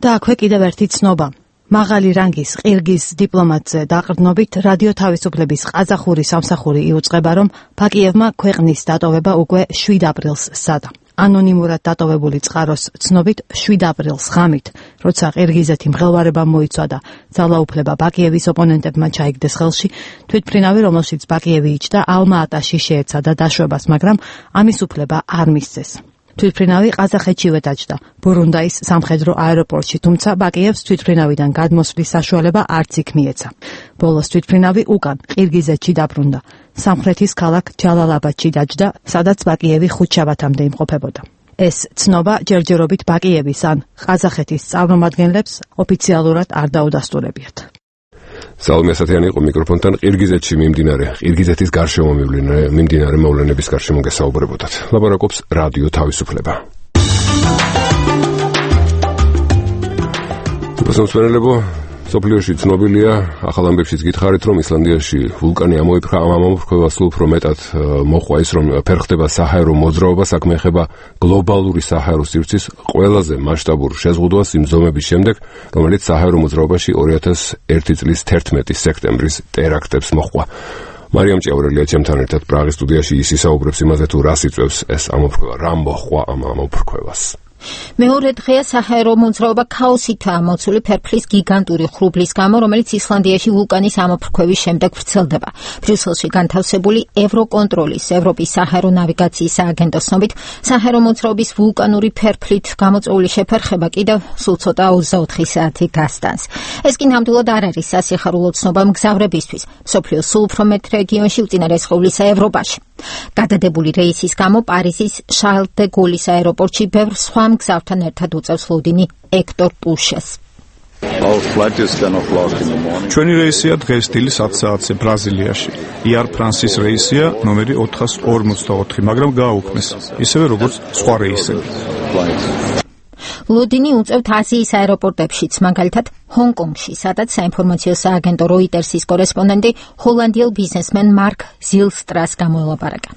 და აქვე კიდევ ერთი ცნობა. მაღალი რანგის ყირგიზ დიპლომატზე დაყრდნობით რადიო თავისუფლების ყაზახური სამსახური იუწყება, რომ ბაკიევმა ქვეყნის დატოვება უკვე 7 აპრილს სცადა. ანონიმურად დატოვებული წყაროს ცნობით 7 აპრილს ღამით, როცა ყირგიზეთი მღელვარებამ მოიცვა და ძალაუფლება ბაკიევის ოპონენტებმა ჩაიგდეს ხელში, თვითმფრინავი, რომელშიც ბაკიევი იჯდა, ალმა-ატაში შეეცადა დაშვებას, მაგრამ ამის უფლება არ მისცეს. თვითმფრინავი ყაზახეთშივე დაჯდა, ბურუნდაის სამხედრო აეროპორტში, თუმცა ბაკიევს თვითმფრინავიდან გადმოსვლის საშუალება არც იქ მიეცა. ბოლოს თვითმფრინავი უკან ყირგიზეთში დაბრუნდა. სამხრეთის ქალაქ ჯალალაბადში დაჯდა, სადაც ბაკიევი ხუთშაბათამდე იმყოფებოდა. ეს ცნობა ჯერჯერობით ბაკიევის ან ყაზახეთის წარმომადგენლებს ოფიციალურად არ დაუდასტურებიათ. სალომე ასათიანი იყო მიკროფონთან. ყირგიზეთში ყირგიზეთის გარშემო მიმდინარე მოვლენების გარშემო გესაუბრებოდათ. ლაპარაკობს რადიო თავისუფლება. მოსმენელებო, სოფლიოში ცნობილია, ახალ ამბებშიც გითხარით, რომ ისლანდიაში ვულკანი ამოფრქვევა, ამ ამოფრქვევას სულ უფრო მეტად მოჰყვა ის, რომ ფერხდება საჰაერო მოძრაობა, საქმე ეხება გლობალური საჰაერო სივრცის ყველაზე მასშტაბურ შეზღუდვას იმ ზომების შემდეგ, რომელიც საჰაერო მოძრაობაში 2001 წლის 11 სექტემბრის ტერაქტებს მოჰყვა. მარიამ ჭიაურელია ჩემთან ერთად პრაღის სტუდიაში ის ისაუბრებს იმაზე, თუ რას იწვევს ეს ამოფრქვევა, რა მოჰყვა ამ ამოფრქვევას. მეორე დღეა საჰაერო მოძრაობა ქაოსითაა მოცული ფერფლის გიგანტური ხრუბლის გამო, რომელიც ისლანდიაში ვულკანის ამოფრქვევის შემდეგ ვრცელდება. ბრიუსელში განთავსებული ევროკონტროლის ევროპის საჰაერო ნავიგაციის სააგენტოს ცნობით, საჰაერო მოძრაობის ვულკანური ფერფლით გამოწვეული შეფერხება კიდევ სულ ცოტა 24 საათი გასტანს. ეს კი ნამდვილად არ არის სასიხარულო ცნობა მგზავრებისთვის. მსოფლიოს სულ უფრო მეტ რეგიონში უწინარესხევლისა ევროპაში. გადადებული რეისის გამო პარიზის შარლ დე გოლის აეროპორტში ბევრ სხვა მგზავრთან ერთად უწევს ლოდინი ექტორ პუშეს. ჩვენი რეისია დღეს დილის 10 საათზე ბრაზილიაში. Air France-ის რეისია ნომერი 454, მაგრამ გააუქმეს, ისევე როგორც სხვა რეისები. ლოდინი უწევთ აზიის აეროპორტებშიც, მაგალითად ჰონკონგში, სადაც საინფორმაციო სააგენტო როიტერსის კორესპონდენტი ჰოლანდიელ ბიზნესმენ მარკ ზილსტრას გამოელაპარაკა.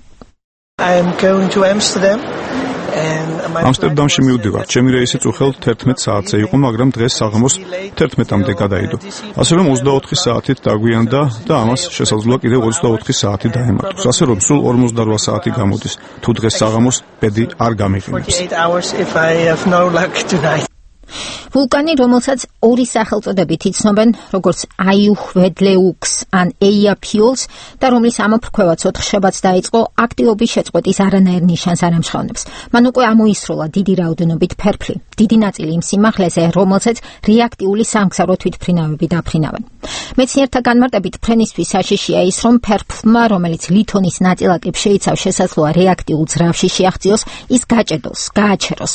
ამსტერდამში მივდივარ. ჩემი რეისი წუხელ 11 საათზე იყო, მაგრამ დღეს საღამოს 11-მდე გადაიდო. ასე რომ 24 საათით დაგვიანდა და ამას შესაძლოა კიდევ 24 საათი დაემართოს. ასე რომ სულ 48 საათი გამოდის. თუ დღეს საღამოს ბედი არ გამიყენებს. ვულკანი, რომელსაც ორი სახელწოდებით იცნობენ, როგორც აიუჰვედლეუქს ან ეიაფიულს და რომლის ამოფრქვევაც 4 შაბათს დაიწყო, აქტივობის შეწყვეტის არანაირ ნიშანს არ ამჟღავნებს. მან უკვე ამოისროლა დიდი რაოდენობით ფერფლი, დიდი ნაწილი იმ სიმაღლეზე, რომელსაც რეაქტიული სამგზავრო თვითმფრინავები დაფრინავენ. მეცნიერთა განმარტებით ფრენისთვის საშიშია ის, რომ ფერფლმა, რომელიც ლითონის ნაწილაკებს შეიცავს, შესაძლოა რეაქტიულ ძრავში შეაღწიოს, ის გაჭედოს, გააჩეროს.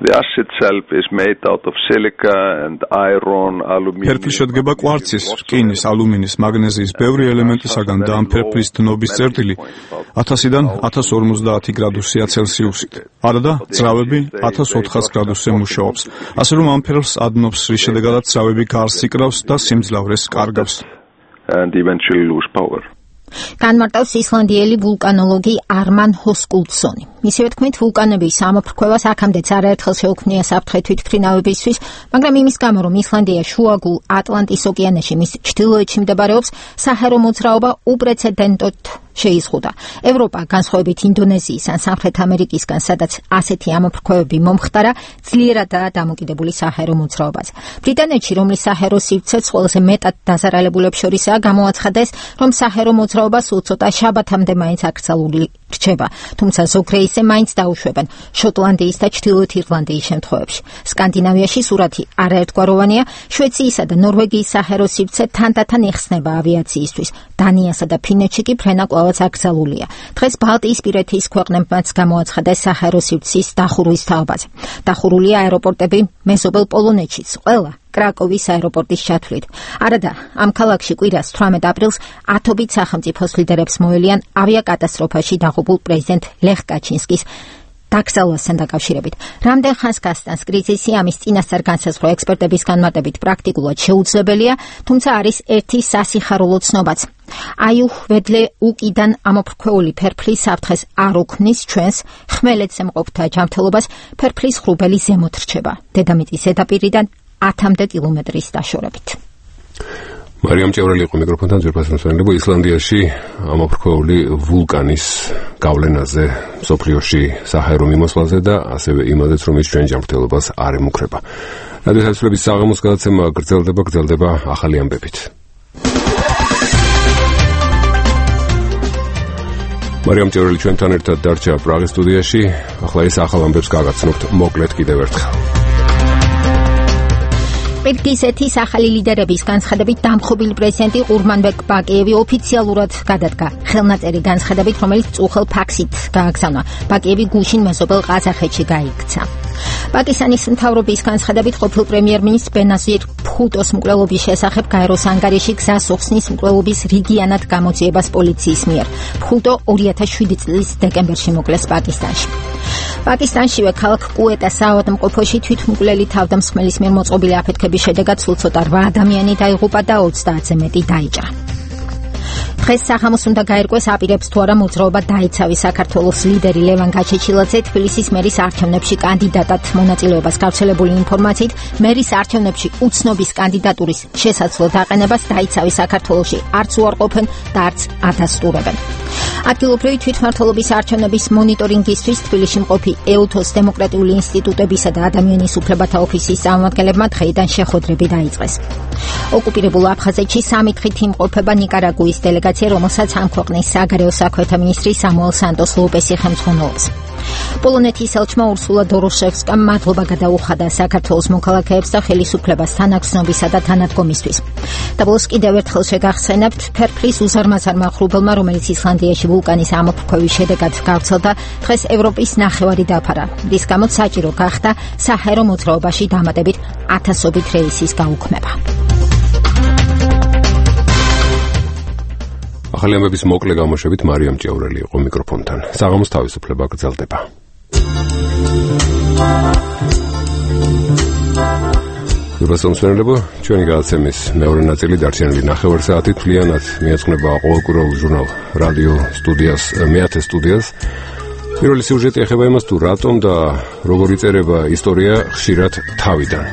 The ash itself is made out of silica and iron, aluminum. ფერფლი შედგება კვარცის, რკინის, ალუმინის, მაგნეზიის ბევრი ელემენტისაგან და ამ ფერფლის დნობის წერტილი 1000-დან 1050 გრადუსია ცელსიუსით. არა და ძრავები 1400 გრადუსზე მუშაობს. ასე რომ ამ ფერფლს ადნობს, რის შედეგადაც ძრავები გარს იკრავს და სიმძლავრეს კარგავს. And eventually lose power. განმარტავს ისლანდიელი ვულკანოლოგი არმან ჰოსკულცონი. ისევე თქვით, ვულკანების ამოფრქვევას აქამდეც არაერთხელ შეუქმნია საფრთხე თვითმფრინავებისთვის, მაგრამ იმის გამო, რომ ისლანდია შუაგულ ატლანტის ოკეანეში მის ჩრდილოეთში მდებარეობს, საჰაერო მოძრაობა უპრეცედენტოდ შეიზღუდა. ევროპა, განსხვავებით ინდონეზიის ან სამხრეთ ამერიკისგან, სადაც ასეთი ამოფრქვევები მომხდარა, ძლიერადაა დამოკიდებული საჰაერო მოძრაობაზე. ბრიტანეთში, რომლის საჰაერო სივრცეც ყველაზე მეტად დაზარალებულებს შორისაა, გამოაცხადეს, რომ საჰაერო მოძრაობა სულ ცოტა შაბათამდე მაინც აკრძალული რჩება, თუმცა ზოგ რეისზე მაინც დაუშვებენ შოტლანდიის და ჩრდილოეთ ირლანდიის შემთხვევებში. სკანდინავიაში სურათი არაერთგვაროვანია, შვეციისა და ნორვეგიის საჰაერო სივრცე თანდათან იხსნება ავიაციისთვის. დანიასა და ფინეთში კი ფრენა კვლავაც აკრძალულია. დღეს ბალტიისპირეთის ქვეყნებმაც გამოაცხადეს საჰაერო სივრცის დახურვის თაობაზე. დახურულია აეროპორტები მეზობელ პოლონეთშიც, ყველა კრაკოვის აეროპორტის ჩათვლით. არადა, ამ ქალაქში კვირას 18 აპრილს ათობით სახელმწიფოს ლიდერებს მოელიან ავიაკატასტროფაში დაღუპულ პრეზიდენტ ლეხ კაჩინსკის დაკრძალვასთან დაკავშირებით. რამდენ ხანს გასტანს კრიზისი, ამის წინასწარ განსაზღვრა ექსპერტების განმარტებით პრაქტიკულად შეუძლებელია, თუმცა არის ერთი სასიხარულო ცნობაც. აიუჰვედლეუკიდან ამოფრქვეული ფერფლის საფრთხეს არ უქმნის ჩვენს ხმელეთზე მყოფთა ჯანმრთელობას, ფერფლის ხრუბელი ზემოთ რჩება, დედამიწის ზედაპირიდან 10-მდე კილომეტრის დაშორებით. მარიამ ჭიაურელი იყო მიკროფონთან, ძვირფასი მოსმენელებო, ისლანდიაში ამოფრქვეული ვულკანის გავლენაზე, სოფლიოში საჰაერო მიმოსვლაზე და ასევე იმაზეც, რომ ის ჩვენ ჯანმრთელობას არ ემუქრება. რადიო თავისუფლების საღამოს გადაცემა გრძელდება ახალი ამბებით. მარიამ ჭიაურელი ჩვენთან ერთად დარჩა პრაღის სტუდიაში. ახლა ის ახალ ამბებს გაგაცნობთ მოკლედ კიდევ ერთხელ. ყირგიზეთის ახალი ლიდერების განცხადებით დამხობილი პრეზიდენტი ყურმანბეკ ბაკიევი ოფიციალურად გადადგა. ხელნაწერი განცხადებით, რომელიც წუხელ ფაქსით გააგზავნა. ბაკიევი გუშინ მეზობელ ყაზახეთში გაიქცა. პაკისტანის მთავრობის განცხადებით ყოფილ პრემიერ-მინისტრ ბენაზირ ბჰუტოს მკვლელობის შესახებ გაეროს ანგარიში გზას უხსნის მკვლელობის რიგიანად გამოძიებას პოლიციის მიერ. ბჰუტო 2007 წლის დეკემბერში მოკლეს პაკისტანში. პაკისტანშივე ქალაქ კუეტას საავადმყოფოში თვითმკვლელი თავდამსხმელის მიერ მოწყობილი აფეთქების შედეგად სულ ცოტა 8 ადამიანი დაიღუპა და 30-ზე მეტი დაიჭრა. დღეს სახამოს უნდა გაერკვეს აპირებს თუ არა მოძრაობა დაიცავი საქართველოს ლიდერი ლევან გაჩეჩილაძე თბილისის მერის არჩევნებში კანდიდატად მონაწილეობას გავრცელებული ინფორმაციით მერის არჩევნებში უცნობის კანდიდატურის შესაძლო დაყენებას დაიცავი საქართველოში არც უარყოფენ და არც ადასტურებენ. ადგილობრივი თვითმმართველობის არჩევნების მონიტორინგისთვის თბილისში მყოფი ეუთოს დემოკრატიული ინსტიტუტებისა და ადამიანის უფლებათა ოფისის წარმომადგენლებმა დღეიდან შეხვედრები დაიწყეს. ოკუპირებულ აფხაზეთში სამი დღით იმყოფება ნიკარაგუის დელეგაცია, რომელსაც ამ ქვეყნის საგარეო საქმეთა მინისტრი სამუელ სანტოს ლოპესი ხელმძღვანელობს. პოლონეთის ელჩმა ურსულა დოროშევსკამ მადლობა გადაუხადა საქართველოს მოქალაქეებს და ხელისუფლებას თანაგრძნობისა და თანადგომისთვის. და ბოლოს კიდევ ერთხელ შეგახსენებთ ფერფლის უზარმაზარმა ღრუბელმა, რომელიც ისლანდიაში ვულკანის ამოფრქვევის შედეგად გავრცელდა, დღეს ევროპის ნახევარი დაფარა. რის გამოც საჭირო გახდა საჰაერო მოძრაობაში დამატებით 1000-ობით რეისის გაუქმება. ახალი ამბების მოკლე გამოშვებით მარიამ ჭიაურელი იყო მიკროფონთან. საღამოს თავისუფლება გრძელდება. უბრალოდ ჩვენი გადაცემის მეორე ნაწილი დარჩენილი 9 საათით მთლიანად მიეძღვნება ყოველკვირეულ ჟურნალ რადიო სტუდიას მეათე სტუდიას. პირველი სიუჟეტი ეხება იმას, თუ რატომ და როგორ იწერება ისტორია ხშირად თავიდან.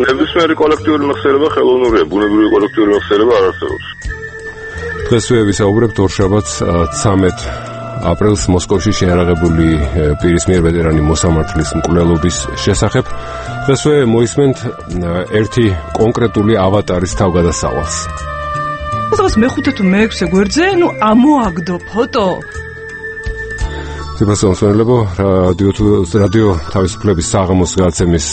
ნებისმიერი კოლექტიური მეხსიერება ხელოვნურია, ბუნებრივი კოლექტიური მეხსიერება არ არსებობს. დღესვე ვისაუბრებთ ორშაბათს 13 აპრილს მოსკოვში შეარაღებული პირის მიერ ვეტერანი მოსამართლის მკვლელობის შესახებ. დღესვე მოისმენთ ერთი კონკრეტული ავატარის თავგადასავალს. დღეს მე-5 თუ მე-6 გვერდზე, ამოაგდო ფოტო. ძებასონსვენლებო რადიო თავისუფლების საღამოს გადაცემის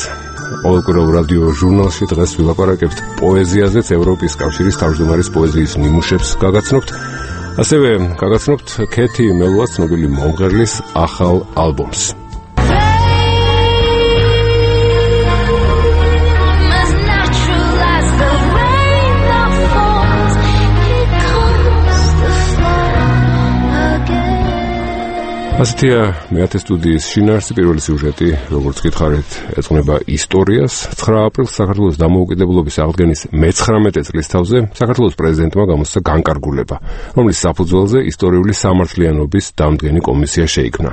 ყოველკვირეულ რადიო ჟურნალში დღეს ვილაპარაკებთ პოეზიაზეც, ევროპის კავშირის თავმჯდომარის პოეზიის ნიმუშებს გაგაცნობთ. ასევე გაგაცნობთ ქეთი მელუას ცნობილი მომღერლის ახალ ალბომს. ასეთია მეათე სტუდიის შინაარსი. პირველი სიუჟეტი, როგორც გითხარით, ეძღვნება ისტორიას. 9 აპრილს საქართველოს დამოუკიდებლობის აღდგენის მე-19 წლის თავზე საქართველოს პრეზიდენტმა გამოსცა განკარგულება, რომლის საფუძველზე ისტორიული სამართლიანობის დამდგენი კომისია შეიქმნა.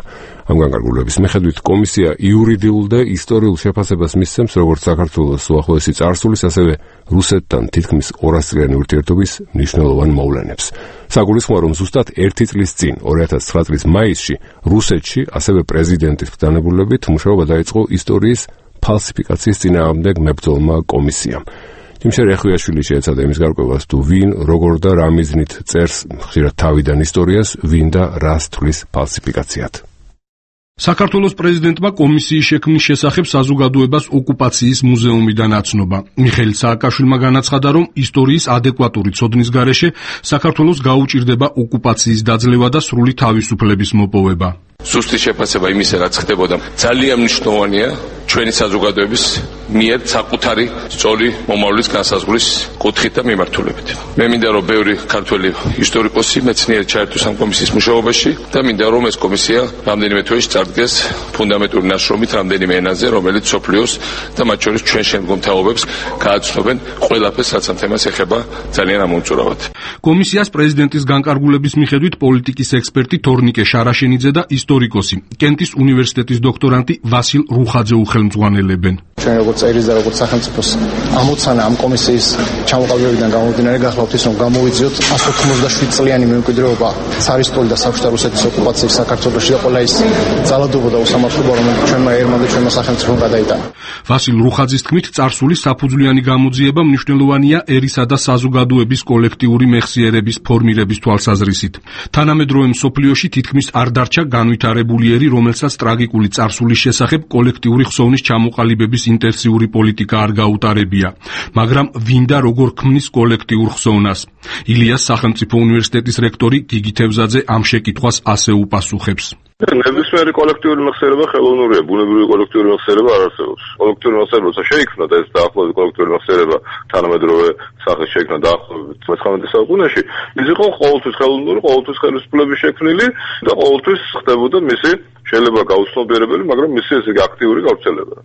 ამ განკარგულების მიხედვით კომისია იურიდიულ და ისტორიულ შეფასებას მისცემს როგორც საქართველოს უახლოესი წარსულის, ასევე რუსეთთან თითქმის 200 წლიანი ურთიერთობის მნიშვნელოვან მოვლენებს. საგულისხმოა, რომ ზუსტად 1 წლის წინ, 2009 წლის მაისში, რუსეთში, ასევე პრეზიდენტის ბრძანებულებით მუშაობა დაიწყო ისტორიის ფალსიფიკაციის წინააღმდეგ მებრძოლმა კომისიამ. ჯიმშერ ეხვიაშვილი შეეცადა იმის გარკვევას, თუ ვინ, როგორ და რა მიზნით წერს ხშირად თავიდან ისტორიას, ვინ და რას თვლის ფალსიფიკაციად. საქართველოს პრეზიდენტმა კომისიის შექმნის შესახებ საზოგადოებას ოკუპაციის მუზეუმიდან აცნობა. მიხეილ სააკაშვილმა განაცხადა, რომ ისტორიის ადეკვატური ცოდნის გარეშე საქართველოს გაუჭირდება ოკუპაციის დაძლევა და სრული თავისუფლების მოპოვება. ზუსტი შეფასება იმისა, რაც ხდებოდა, ძალიან მნიშვნელოვანია ჩვენი საზოგადოების მიერ საკუთარი სწორი მომავლის განსაზღვრის კუთხით და მიმართულებით. მე მინდა, რომ ბევრი ქართველი ისტორიკოსი, მეცნიერი ჩაერთოს ამ კომისიის მუშაობაში და მინდა, რომ ეს კომისია რამდენიმე თვეში წარდგეს ფუნდამენტური ნაშრომით რამდენიმე ენაზე, რომელიც სოფლიოს და მათ შორის ჩვენ შემდგომ თაობებს გააცნობენ ყველაფერს, რაც ამ თემას ეხება ძალიან ამომწურავად. კომისიას პრეზიდენტის განკარგულების მიხედვით პოლიტიკის ექსპერტი თორნიკე შარაშენიძე და ისტორიკოსი, კენტის უნივერსიტეტის დოქტორანტი ვასილ რუხაძე უხელმძღვანელებენ. ჩვენ როგორც წერის და როგორც სახელმწიფოს ამოცანა ამ კომისიის ჩამოყალიბებიდან გამომდინარე გახლავთ ის, რომ გამოვიძიოთ 187 წლიანი მემკვიდრეობა ცარისტული და საბჭოთა რუსეთის ოკუპაციის საქართველოში და ყველა ის ძალადობა და უსამართლობა, რომელიც ჩვენმა ერმა და ჩვენმა სახელმწიფომ გადაიტანა. ვასილ რუხაძის თქმით, წარსულის საფუძვლიანი გამოძიება მნიშვნელოვანია ერისა და საზოგადოების კოლექტიური მეხსიერების ფორმირების თვალსაზრისით. თანამედროვე მსოფლიოში თითქმის არ დარჩა განვითარებული ერი, რომელსაც ტრაგიკული წარსულის შესახებ კოლექტიური ხსოვნის ჩამოყალიბების ინტენსიური პოლიტიკა არ გაუტარებია, მაგრამ ვინდა როგორ ქმნის კოლექტიურ ხსოვნას. ილიას სახელმწიფო უნივერსიტეტის რექტორი გიგი თევზაძე ამ შეკითხვას ასე უპასუხებს. ნებისმიერი კოლექტიური მეხსიერება ხელოვნურია, ბუნებრივი კოლექტიური მეხსიერება არ არსებობს. კოლექტიური მეხსიერება შეიქმნა და ეს დაახლოებით კოლექტიური მეხსიერება თანამედროვე სახის შეიქმნა დაახლოებით 19 საუკუნეში. ის იყო ყოველთვის ხელოვნური, ყოველთვის ხელისუფლების შექმნილი და ყოველთვის ხდებოდა მისი შეიძლება გაუცნობიერებელი, მაგრამ მისი ესე აქტიური გავრცელება.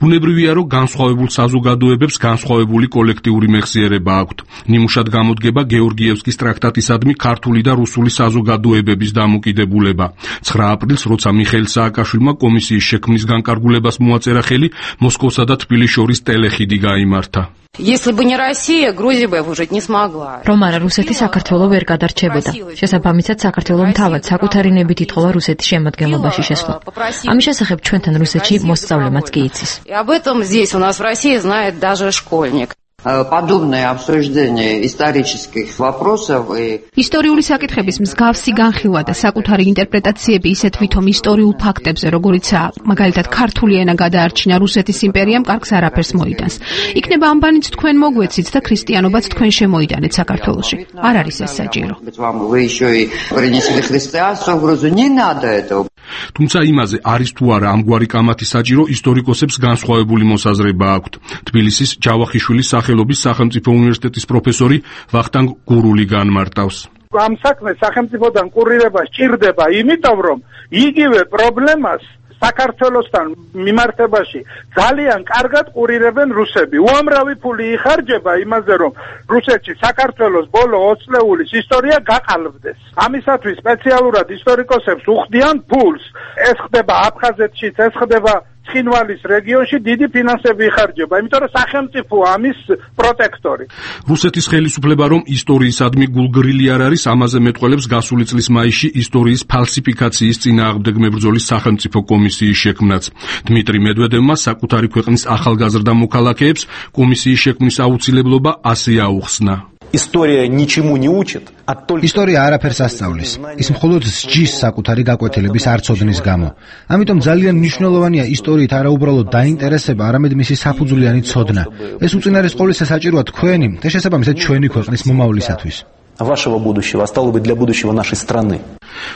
ბუნებრივია, რომ განსხვავებულ საზოგადოებებს განსხვავებული კოლექტიური მეხსიერება აქვთ. ნიმუშად გამოდგება გეორგიევსკის ტრაქტატისადმი ქართული და რუსული საზოგადოებების დამოკიდებულება. 9 აპრილს, როცა მიხეილ სააკაშვილმა კომისიის შექმნის განკარგულებას მოაწერა ხელი, მოსკოვსა და თბილისის შორის ტელეხიდი გაიმართა. Если бы не Россия, Грузия бы выжить не смогла. რომ არა რუსეთი საქართველოს ვერ გადარჩებოდა. შესაბამისად საქართველოს თავად საკუთარი ნებით ითხოვა რუსეთის შემადგენლობაში შესვლა. ამის შესახებ ჩვენთან რუსეთში მოსწავლემაც კი იცის. И об этом здесь у нас в России знает даже школьник. Подобное обсуждение исторических вопросов ისტორიული საკითხების მსგავსი განხილვა და საკუთარი ინტერპრეტაციები ისეთ ვითომ ისტორიულ ფაქტებზე, როგორიცაა, მაგალითად, ქართული ენა გადაარჩინა რუსეთის იმპერიამ, კარგს არაფერს მოიტანს. იქნება ამბანიც თქვენ მოგვეცით და ქრისტიანობაც თქვენ შემოიტანეთ საქართველოში. არ არის ეს საჭირო. თუმცა იმაზე არის თუ არა ამგვარი კამათი საჭირო, ისტორიკოსებს განსხვავებული მოსაზრება აქვთ. თბილისის ჯავახიშვილის სახელობის სახელმწიფო უნივერსიტეტის პროფესორი ვახტანგ გურული განმარტავს. ამ საქმეს სახელმწიფოდან კურირება სჭირდება, იმიტომ რომ იგივე პრობლემას საქართველოსთან მიმართებაში ძალიან კარგად ყურირებენ რუსები. უამრავი ფული იხარჯება იმაზე, რომ რუსეთში საქართველოს ბოლო 20 წლეულის ისტორია გაყალბდეს. ამისათვის სპეციალურად ისტორიკოსებს უხდიან ფულს. ეს ხდება აფხაზეთშიც, ეს ხდება ცხინვალის რეგიონში დიდი ფინანსები იხარჯება, იმიტომ რომ სახელმწიფო ამის პროტექტორი. რუსეთის ხელისუფლება რომ ისტორიისადმი გულგრილი არ არის, ამაზე მეტყველებს გასული წლის მაისში ისტორიის ფალსიფიკაციის წინააღმდეგ მებრძოლის სახელმწიფო კომისიის შექმნაც. დმიტრი მედვედევმა საკუთარი ქვეყნის ახალგაზრდა მოქალაქეებს კომისიის შექმნის აუცილებლობა ასე აუხსნა. История ничему не учит, а только ისტორია არაფერს ასწავლის. ის მხოლოდ სჯის საკუთარი გაკვეთილების არცოდნის გამო. ამიტომ ძალიან მნიშვნელოვანია ისტორიით არა უბრალოდ დაინტერესება, არამედ მისი საფუძვლიანი ცოდნა. ეს უწინარეს ყოვლისა საჭიროა თქვენი და შესაბამისად ჩვენი ქვეყნის მომავლისათვის. вашего будущего, а стало быть для будущего нашей страны.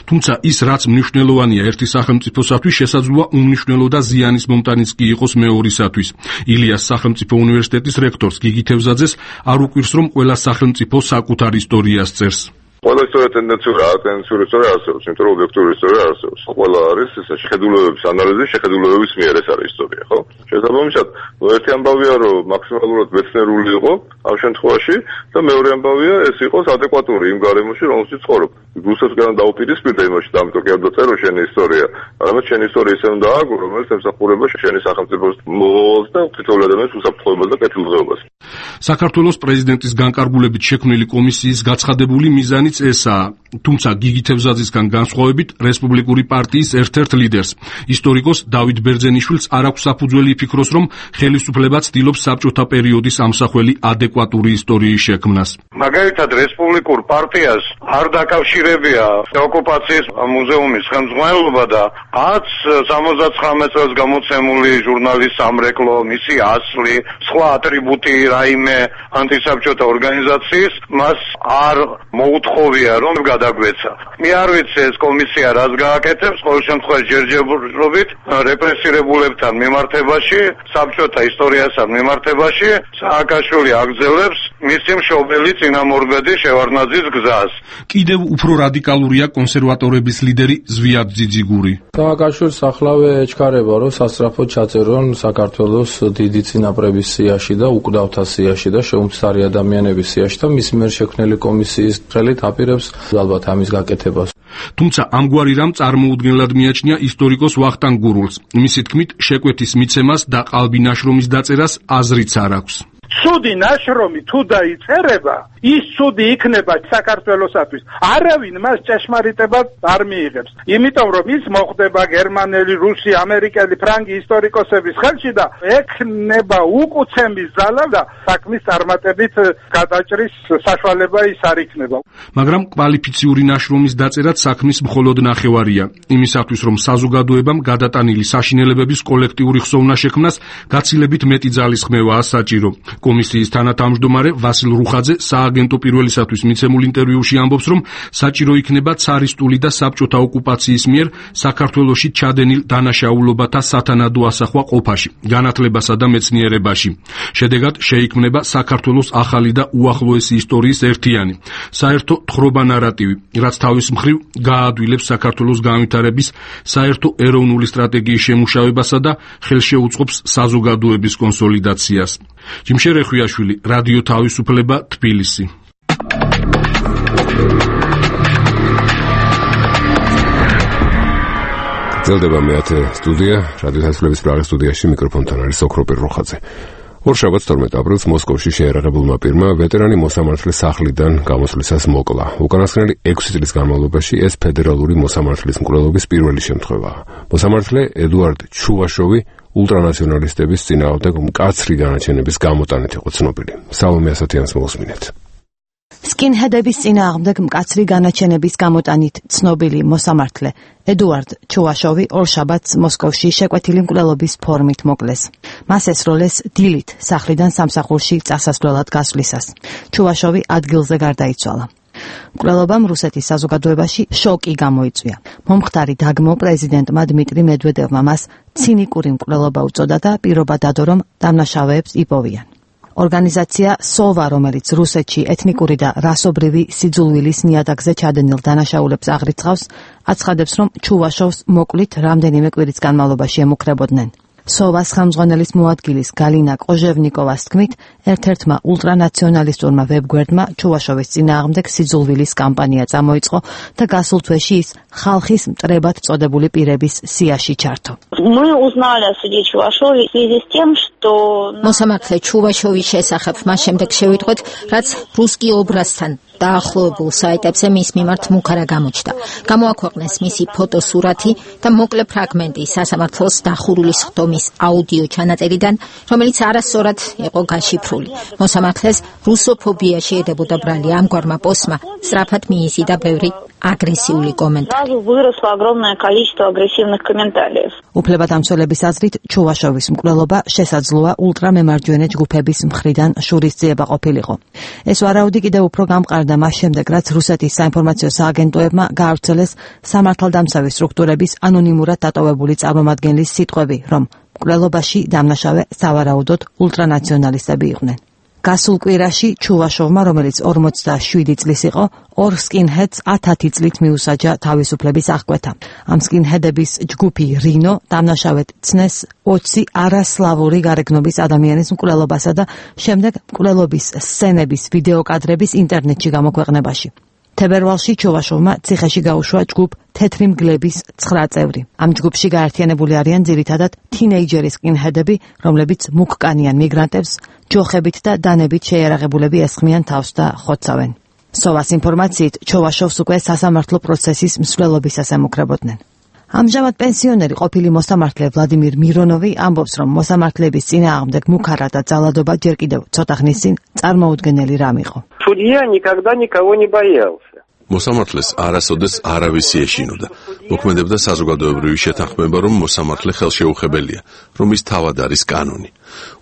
თუმცა ის რაც მნიშვნელოვანია ერთი სახელმწიფოსათვის, შესაძლოა უმნიშვნელო და ზიანის მომტანიც კი იყოს მეორისათვის. ილიას სახელმწიფო უნივერსიტეტის რექტორს გიგი თევზაძეს არ უკვირს, რომ ყველა სახელმწიფო საკუთარ ისტორიას წერს. ყველა ისტორია ტენდენციური ისტორია არსებობს, იმიტომ რომ ობიექტური ისტორია არსებობს. ყველა არის ეს შეხედულებების ანალიზი, შეხედულებების მიერ ეს არის ისტორია, ხო? შესაბამისად, ერთი ამბავია, რომ მაქსიმალურად მეცნიერული იყო ამ შემთხვევაში და მეორე ამბავია, ეს იყოს ადეკვატური იმ გარემოში, რომელშიც ცხოვრობ. რუსეთთან დაუპირისპირდა იმაში, და ამიტომ კი არ დაწერო შენი ისტორია. არამედ შენი ისტორია ისე უნდა ააგო, რომელიც ემსახურება შენი სახელმწიფოს მოვალს და თითოეულ ადამიანს უსაფრთხოებას და კეთილდღეობას. საქართველოს პრეზიდენტის განკარგულებით შექმნილი კომისიის გაცხადებული მიზანიც ესაა. თუმცა გიგი თევზაძისგან განსხვავებით, რესპუბლიკური პარტიის ერთ-ერთ ლიდერს, ისტორიკოს დავით ბერძენიშვილს არ აქვს საფუძველი იფიქროს, რომ ხელისუფლება ცდილობს საბჭოთა პერიოდის ამსახველი ადეკვატური ისტორიის შექმნას. მაგალითად, რესპუბლიკურ პარტიას არ დაკავშირებია ოკუპაციის მუზეუმის ხელმძღვანელობა და 69 წელს გამოცემული ჟურნალის სამრეკლო, მისი ასლი, სხვა ატრიბუტი რაიმე ანტისაბჭოთა ორგანიზაციის მას არ მოუთხოვია, რომ გადაგვეცა. მე არ ვიცი ეს კომისია რას გააკეთებს, ყოველ შემთხვევაში ჯერჯერობით რეპრესირებულებთან მიმართებაში, საბჭოთა ისტორიასთან მიმართებაში სააკაშვილი აგრძელებს მისი მშობელი წინამორბედი შევარდნაძის გზას. კიდევ უფრო რადიკალურია კონსერვატორების ლიდერი ზვიად ძიძიგური. სააკაშვილს ახლავე ეჩქარება, რომ სასწრაფოდ ჩაწერონ საქართველოს დიდი წინაპრების სიაში და უკვდავთა სიაში და შეუმცდარი ადამიანების სიაში და მის მიერ შექმნილი კომისიის ხელით აპირებს ალბათ ამის გაკეთებას. თუმცა ამგვარი რამ წარმოუდგენლად მიაჩნია ისტორიკოს ვახტანგ გურულს. მისი თქმით, შეკვეთის მიცემას და ყალბი ნაშრომის დაწერას აზრიც არ აქვს. ცუდი ნაშრომი თუ დაიწერება, ის ცუდი იქნება საქართველოსათვის. არავინ მას ჭეშმარიტებად არ მიიღებს. იმიტომ რომ ის მოხდება გერმანელი, რუსი, ამერიკელი, ფრანგი ისტორიკოსების ხელში და ექნება უკუცემის ძალა და საქმის წარმატებით გადაჭრის საშუალება ის არ იქნება. მაგრამ კვალიფიციური ნაშრომის დაწერაც საქმის მხოლოდ ნახევარია. იმისათვის რომ საზოგადოებამ გადატანილი საშინელებების კოლექტიური ხსოვნა შექმნას, გაცილებით მეტი ძალისხმევაა საჭირო. კომისიის თანათავმჯდომარე ვასილ რუხაძე სააგენტო პირველისათვის მიცემულ ინტერვიუში ამბობს, რომ საჭირო იქნება ცარისტული და საბჭოთა ოკუპაციის მიერ საქართველოში ჩადენილ დანაშაულობათა სათანადო ასახვა ყოფაში, განათლებასა და მეცნიერებაში. შედეგად შეიქმნება საქართველოს ახალი და უახლოესი ისტორიის ერთიანი, საერთო თხრობა ნარატივი, რაც თავის მხრივ გააადვილებს საქართველოს განვითარების საერთო ეროვნული სტრატეგიის შემუშავებასა და ხელშეუწყობს საზოგადოების კონსოლიდაციას. ჯიმშერ ეხვიაშვილი, რადიო თავისუფლება, თბილისი. გრძელდება მეათე სტუდია, რადიო თავისუფლების პრაღის სტუდიაში მიკროფონთან არის ოქროპირ როხაძე. ორშაბათს 12 აპრილს მოსკოვში შეერაღებულმა პირმა ვეტერანი მოსამართლის სახლიდან გამოსვლისას მოკლა. უკანასკნელი 6 წლის განმავლობაში ეს ფედერალური მოსამართლის მკვლელობის პირველი შემთხვევაა. მოსამართლე ედუარდ ჩუვაშოვი ულტრანაციონალისტების წინააღმდეგ მკაცრი განაჩენების გამოტანით იყო ცნობილი. სალომე ასათიანს მოусმინეთ. სკინჰედების წინააღმდეგ მკაცრი განაჩენების გამოტანით ცნობილი მოსამართლე ედუარდ ჩუვაშოვი ორშაბათს მოსკოვში შეკვეთილი მკვლელობის ფორმით მოკლეს. მას ესროლეს დილით სახლიდან სამსახურში წასასვლელად გასვლისას. ჩუვაშოვი ადგილზე გარდაიცვალა. მკვლელობამ რუსეთის საზოგადოებაში შოკი გამოიწვია. მომხდარი დაგმო პრეზიდენტმა დმიტრი მედვედევმა მას ცინიკური მკვლელობა უწოდა და პირობა დადო, რომ დამნაშავეებს იპოვიან. ორგანიზაცია სოვა, რომელიც რუსეთში ეთნიკური და რასობრივი სიძულვილის ნიადაგზე ჩადენილ დანაშაულებს აღრიცხავს, აცხადებს, რომ ჩუვაშოვს მოკლით რამდენიმე კვირის განმავლობაში ემუქრებოდნენ. სოვას ხელმძღვანელის მოადგილის გალინა კოჟევნიკოვას თქმით, ერთ-ერთმა ულტრანაციონალისტურმა ვებგვერდმა ჩუვაშოვის წინააღმდეგ სიძულვილის კამპანია წამოიწყო და გასულ თვეში ის ხალხის მტრებად წოდებული პირების სიაში ჩართო. მოსამართლე ჩუვაშოვის შესახებ მას შემდეგ შევიტყვეთ, რაც რუსკი ობრაზთან დაახლოებულ საიტებზე მის მიმართ მუქარა გამოჩნდა. გამოაქვეყნეს მისი ფოტოსურათი და მოკლე ფრაგმენტი სასამართლოს დახურული სხდომის აუდიო ჩანაწერიდან, რომელიც არასწორად იყო გაშიფრული. მოსამართლეს რუსოფობიაში ედებოდა ბრალი. ამგვარმა პოსტმა სწრაფად მიიზიდა ბევრი აგრესიული კომენტარი. უფლებადამცველების აზრით, ჩუვაშოვის მკვლელობა შესაძლოა ულტრამემარჯვენე ჯგუფების მხრიდან შურისძიება ყოფილიყო. ეს ვარაუდი კიდევ უფრო გამყარდა მას შემდეგ, რაც რუსეთის საინფორმაციო სააგენტოებმა გაავრცელეს სამართალდამცავი სტრუქტურების ანონიმურად დატოვებული წარმომადგენლის სიტყვები, რომ მკვლელობაში დამნაშავე სავარაუდოდ ულტრანაციონალისტები იყვნენ. გასულ კვირაში ჩუვაშოვმა, რომელიც 47 წლის იყო, ორ სკინჰედს 10 წლით მიუსაჯა თავისუფლების აღკვეთა. ამ სკინჰედების ჯგუფი რინო დამნაშავედ ცნეს 20 არასლავური გარეგნობის ადამიანის მკვლელობასა და შემდეგ მკვლელობის სცენების ვიდეოკადრების ინტერნეტში გამოქვეყნებაში. თებერვალში ჩუვაშოვმა ციხეში გაუშვა ჯგუფ თეთრი მგლების 9 წევრი. ამ ჯგუფში გაერთიანებული არიან ძირითადად თინეიჯერი სკინჰედები, რომლებიც მუქკანიან მიგრანტებს ჯოხებით და დანებით შეიარაღებულები ესხმიან თავს და ხოცავენ. სოვას ინფორმაციით, ჩუვაშოვს უკვე სასამართლო პროცესის მსვლელობისას ემუქრებოდნენ. ამჟამად პენსიონერი ყოფილი მოსამართლე ვლადიმირ მირონოვი ამბობს, რომ მოსამართლეების წინააღმდეგ მუქარა და ძალადობა ჯერ კიდევ ცოტა ხნის წინ წარმოუდგენელი რამ იყო. Судья никогда никого не боялся. მოსამართლეს არასოდეს არავისი ეშინოდა. მოქმედებდა საზოგადოებრივი შეთანხმება, რომ მოსამართლე ხელშეუხებელია, რომ ის თავად არის კანონი.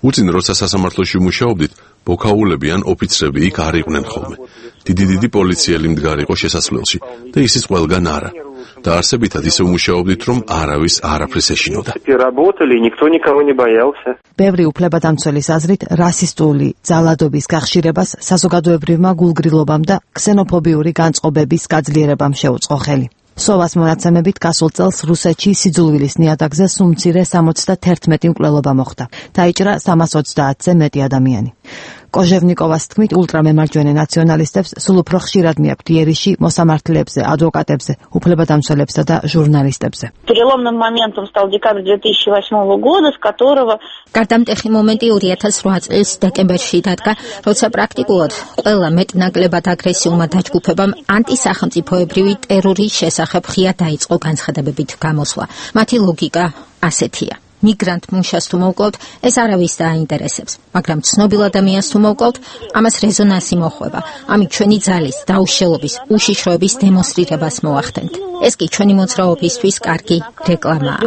უწინ როცა სასამართლოში მუშაობდით, ბოქაულები ან ოფიცრები იქ არ იყვნენ ხოლმე. დიდი პოლიციელი მდგარი იყო შესასვლელში და ისიც ყველგან არა. და არსებითად ისე მუშაობდით, რომ არავის არაფრის ეშინოდა. ბევრი უფლებადამცველის აზრით, რასისტული ძალადობის გახშირებას საზოგადოებრივმა გულგრილობამ და ქსენოფობიური განწყობების გაძლიერებამ შეუწყო ხელი. სოვას მონაცემებით გასულ წელს რუსეთში სიძულვილის ნიადაგზე სულ მცირე 71 მკვლელობა მოხდა. დაიჭრა 330-ზე მეტი ადამიანი. კოჟევნიკოვას თქმით, ულტრამემარჯვენე ნაციონალისტებს სულ უფრო ხშირად მიაქვთ იერიში მოსამართლეებზე, ადვოკატებზე, უფლებადამცველებსა და ჟურნალისტებზე. Переломным моментом стал декабрь 2008 года, с которого გარდამტეხი მომენტი 2008 წლის დეკემბერში დადგა, როცა პრაქტიკულად ყველა მეტნაკლებად აგრესიულმა დაჯგუფებამ ანტისახელმწიფოებრივი ტერორის შესახებ ღია დაიწყო განცხადებებით გამოსვლა. მათი ლოგიკა ასეთია. Migrant მუშას თუ მოვკლავთ, ეს არავის დააინტერესებს, მაგრამ ცნობილ ადამიანს თუ მოვკლავთ, ამას რეზონანსი მოხვება. ამით ჩვენი ძალის, დაუშელობის, უშიშროების დემონსტრირებას მოახდენთ. ეს კი ჩვენი მოძრაობისთვის კარგი რეკლამაა.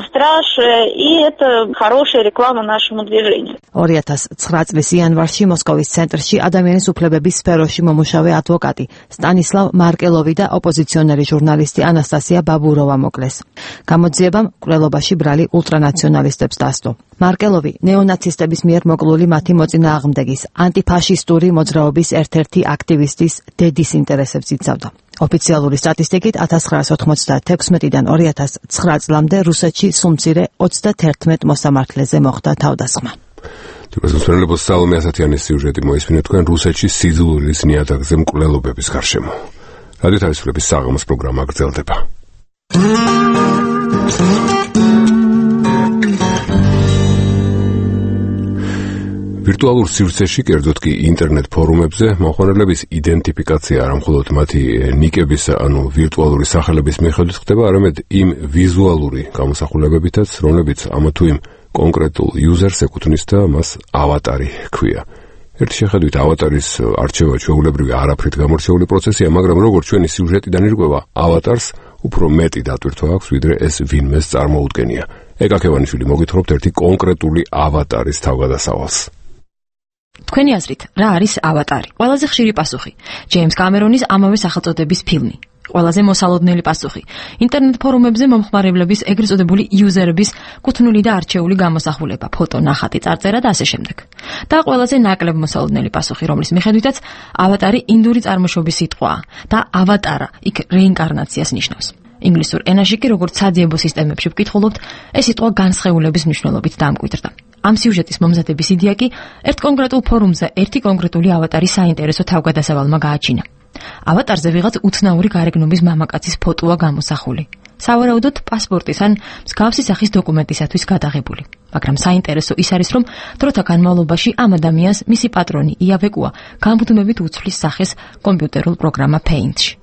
2009 წლის იანვარში მოსკოვის ცენტრში ადამიანის უფლებების სფეროში მომუშავე ადვოკატი სტანისლავ მარკელოვი და ოპოზიციონერი ჟურნალისტი ანასტასია ბაბუროვა მოკლეს. გამოძიებამ მკვლელობაში ბრალი ულტრანაციონალისტებს დასდო. მარკელოვი ნეონაცისტების მიერ მოკლული მათი მოწინააღმდეგის, ანტიფაშისტური მოძრაობის ერთ-ერთი აქტივისტის დედის ინტერესებს იცავდა. ოფიციალური სტატისტიკით 1996-დან 2009 წლამდე რუსეთში სულ მცირე 31 მოსამართლეზე მოხდა თავდასხმა. თუმცა სალომე ასათიანის სიუჟეტი მოისმინეთ თქვენ რუსეთში სიძულვილის ნიადაგზე მკვლელობების გარშემო. რადიო თავისუფლების საღამოს პროგრამა გრძელდება. ვირტუალურ სივრცეში, კერძოდ კი ინტერნეტ ფორუმებზე, მომხმარებლების იდენტიფიკაცია არა მხოლოდ მათი ნიკების, ანუ ვირტუალური სახელების მიხედვით ხდება, არამედ იმ ვიზუალური გამოსახულებებითაც, რომლებიც ამა თუ იმ კონკრეტულ იუზერს ეკუთვნის და მას ავატარი ჰქვია. ერთი შეხედვით ავატარის არჩევა ჩვეულებრივი არაფრით გამორჩეული პროცესია, მაგრამ როგორც ჩვენი სიუჟეტიდან ირკვევა, ავატარს უფრო მეტი დატვირთვა აქვს, ვიდრე ეს ვინმეს წარმოუდგენია. ეკაკევანიშვილი მოგითხრობთ ერთი კონკრეტული ავატარის თავგადასავალს. თქვენი აზრით, რა არის ავატარი? ყველაზე ხშირი პასუხი. ჯეიმს კამერონის ამავე სახელწოდების ფილმი. ყველაზე მოსალოდნელი პასუხი. ინტერნეტ ფორუმებზე მომხმარებლების ეგრეთ წოდებული იუზერების კუთვნილი და არჩეული გამოსახულება, ფოტო, ნახატი, წარწერა და ასე შემდეგ. და ყველაზე ნაკლებ მოსალოდნელი პასუხი, რომლის მიხედვითაც ავატარი ინდური წარმოშობის სიტყვაა და ავატარა იქ რეინკარნაციას ნიშნავს. ინგლისურ ენაში კი როგორც საძიებო სისტემებში ვკითხულობთ, ეს სიტყვა განსხეულების მნიშვნელობით დამკვიდრდა. ამ სიუჟეტის მომზადების იდეა კი ერთ კონკრეტულ ფორუმზე ერთი კონკრეტული ავატარის საინტერესო თავგადასავალმა გააჩინა. ავატარზე ვიღაც უცნაური გარეგნობის მამაკაცის ფოტოა გამოსახული. სავარაუდოდ პასპორტის ან მსგავსი სახის დოკუმენტისათვის გადაღებული. მაგრამ საინტერესო ის არის, რომ დროთა განმავლობაში ამ ადამიანს მისი პატრონი იავეკუა გამუდმებით უცვლის სახეს კომპიუტერულ პროგრამა Paint-ში.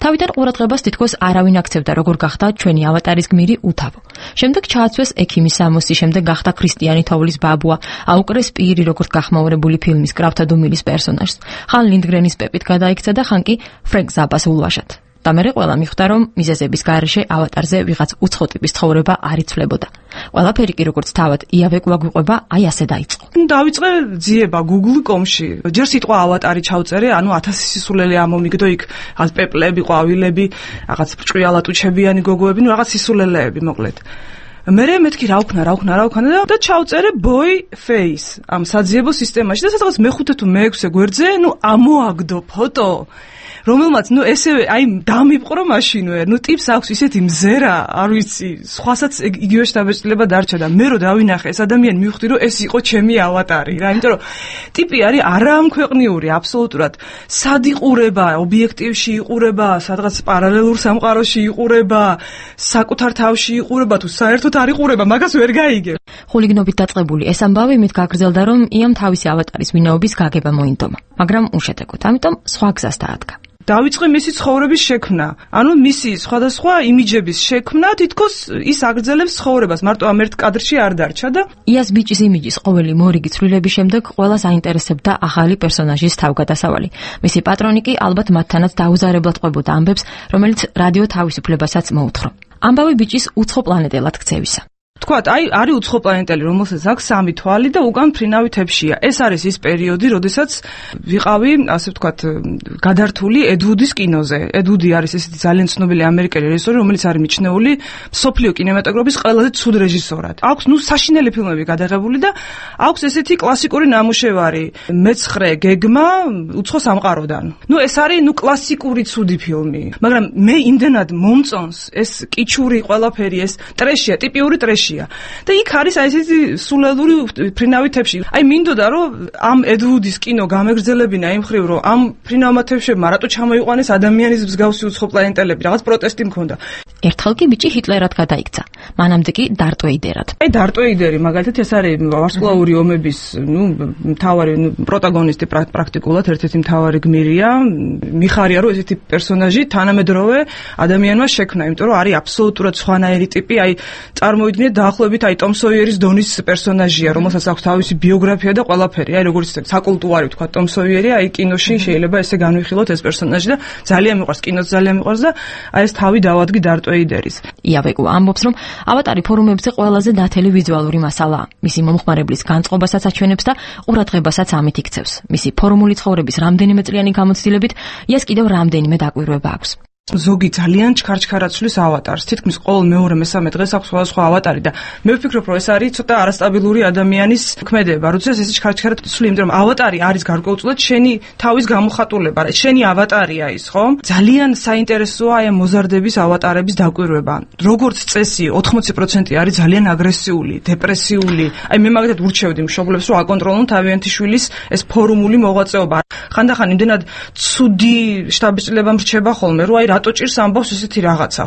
თავიდან ყურადღებას თითქოს არავინ აქცევდა, როგორ გახდა ჩვენი ავატარის გმირი უთავო. შემდეგ ჩააცვეს ექიმის სამოსი, შემდეგ გახდა ქრისტიანი თოვლის ბაბუა, აუკრეს პირი, როგორც გახმაურებული ფილმის კრავთა დუმილის პერსონაჟს, ხან ლინდგრენის პეპით გადაიქცა და ხან კი ფრენკ ზაპას ულვაშად. და მერე ყველა მიხვდა, რომ მიზეზების გარეშე ავატარზე ვიღაც უცხო ტიპის ცხოვრება არ იცვლებოდა. ყველაფერი კი როგორც თავად იავეკვა გვიყვება, აი ასე დაიწყო. დავიწყე ძიება Google.com-ში. ჯერ სიტყვა ავატარი ჩავწერე, ანუ 1000 სისულელე ამომიგდო იქ პეპლები, ყვავილები, რაღაც ბრჭყიალატუჩებიანი გოგოები, ნუ რაღაც სისულელეები მოკლედ. მერე მეთქი რა ვქნა და ჩავწერე boy face ამ საძიებო სისტემაში და სადღაც მე-5 თუ მე-6 გვერდზე, ნუ ამოაგდო ფოტო. რომელმაც ნუ ესევე აი დამიპყრო მაშინვე, ნუ ტიპს აქვს ისეთი მზერა, არ ვიცი, სხვასაც იგივე შთაბეჭდილება დარჩა და მე რო დავინახე ეს ადამიანი მივხვდი რომ ეს იყო ჩემი ავატარი რა, იმიტომ რომ ტიპი არის არაამქვეყნიური აბსოლუტურად. სად იყურება, ობიექტივში იყურება, სადღაც პარალელურ სამყაროში იყურება, საკუთარ თავში იყურება თუ საერთოდ არ იყურება, მაგას ვერ გაიგებ. ხულიგნობით დაწყებული ეს ამბავი მით გაგრძელდა, რომ იამ თავისი ავატარის ვინაობის გაგება მოინდომა, მაგრამ უშედეგოდ, ამიტომ სხვა გზას დაადგა. დავიწყე მისი ცხოვრების შექმნა, ანუ მისი სხვადასხვა იმიჯების შექმნა, თითქოს ის აგრძელებს ცხოვრებას, მარტო ამ ერთ კადრში არ დარჩა და იას ბიჭის იმიჯის ყოველი მორიგი ცვლილების შემდეგ ყველას აინტერესებდა ახალი პერსონაჟის თავგადასავალი. მისი პატრონი კი ალბათ მათთანაც დაუზარებლად ყვებოდა ამბებს, რომელიც რადიო თავისუფლებასაც მოუთხრა. ამბავი ბიჭის უცხო პლანეტელად ქცევისა. თქვათ, აი არის უცხო პლანეტელი, რომელსაც აქვს 3 თვალი და უკან ფრინავი თეფშია. ეს არის ის პერიოდი, როდესაც ვიყავი, ასე ვთქვათ, გადართული ედ ვუდის კინოზე. ედ ვუდი არის ესეთი ძალიან ცნობილი ამერიკელი რეჟისორი, რომელიც არის მიჩნეული მსოფლიო კინემატოგრაფის ყველაზე ცუდ რეჟისორად. აქვს ნუ საშინელი ფილმები გადაღებული და აქვს ესეთი კლასიკური ნამუშევარი მეცხრე გეგმა უცხო სამყაროდან. ნუ ეს არის ნუ კლასიკური ცუდი ფილმი, მაგრამ მე იმდენად მომწონს ეს კიჩური ყველაფერი, ეს ტრეშია, ტიპიური ტრეშია. პერსონაჟია. და იქ არის აი ესეთი სულელური ფრინავი თებში. აი მინდოდა რომ ამ ედვუდის კინო გამეგრძელებინა იმ ხრივ რომ ამ ფრინავმა თებშებმა რატო ჩამოიყვანეს ადამიანის მსგავსი უცხო პლანეტელები, რაღაც პროტესტი მქონდა. ერთხელ კი ბიჭი ჰიტლერად გადაიქცა. მანამდე კი დარტ ვეიდერად. აი დარტ ვეიდერი მაგალითად ეს არის ვარსკვლავური ომების, მთავარი პროტაგონისტი პრაქტიკულად ერთ-ერთი მთავარი გმირია. მიხარია რომ ესეთი პერსონაჟი თანამედროვე ადამიანმა შექმნა, იმიტომ რომ არის აბსოლუტურად სხვანაირი ტიპი, აი წარმოიდგინეთ დაახლოებით აი ტომ სოიერის დონის პერსონაჟია, რომელსაც აქვს თავისი ბიოგრაფია და ყველაფერი, აი როგორც საკულტუარი ვთქვა ტომ სოიერი, აი კინოში შეიძლება ესე განვიხილოთ ეს პერსონაჟი და ძალიან მიყვარს, კინოც ძალიან მიყვარს და აი ეს თავი დავადგი დარტ ვეიდერის. იავეკო ამბობს, რომ ავატარი ფორუმებზე ყველაზე დათელი ვიზუალური მასალაა. მისი მომხმარებლის განწყობასაც აჩვენებს და ყურადღებასაც ამით იქცევს. მისი ფორმული ცხოვრების რამდენიმე წლიანი გამოცდილებით იას კიდევ რამდენიმე დაკვირვება აქვს. ზოგი ძალიან ჩქარჩქარად ცვლის ავატარს. თითქმის ყოველ მეორე მესამე დღეს აქვს სხვადასხვა ავატარი და მე ვფიქრობ, რომ ეს არის ცოტა არასტაბილური ადამიანის ქმედება. როდესაც ეს ჩქარჩქარად ცვლი, იმიტომ რომ ავატარი არის გარკვეულწილად შენი თავის გამოხატულება, შენი ავატარია ის, ხო? ძალიან საინტერესოა აი მოზარდების ავატარების დაკვირვება. როგორც წესი, 80% არის ძალიან აგრესიული, დეპრესიული. აი მე მაგათად ურჩევდი მშობლებს, რომ აკონტროლონ თავიანთი შვილის ეს ფორუმული მოღვაწეობა. ხანდახან იმდენად ცუდი შტაბ-ბიჭდება მრჩება ხოლმე, რომ აი რატო ჭირს ამბავს ესეთი რაღაცა.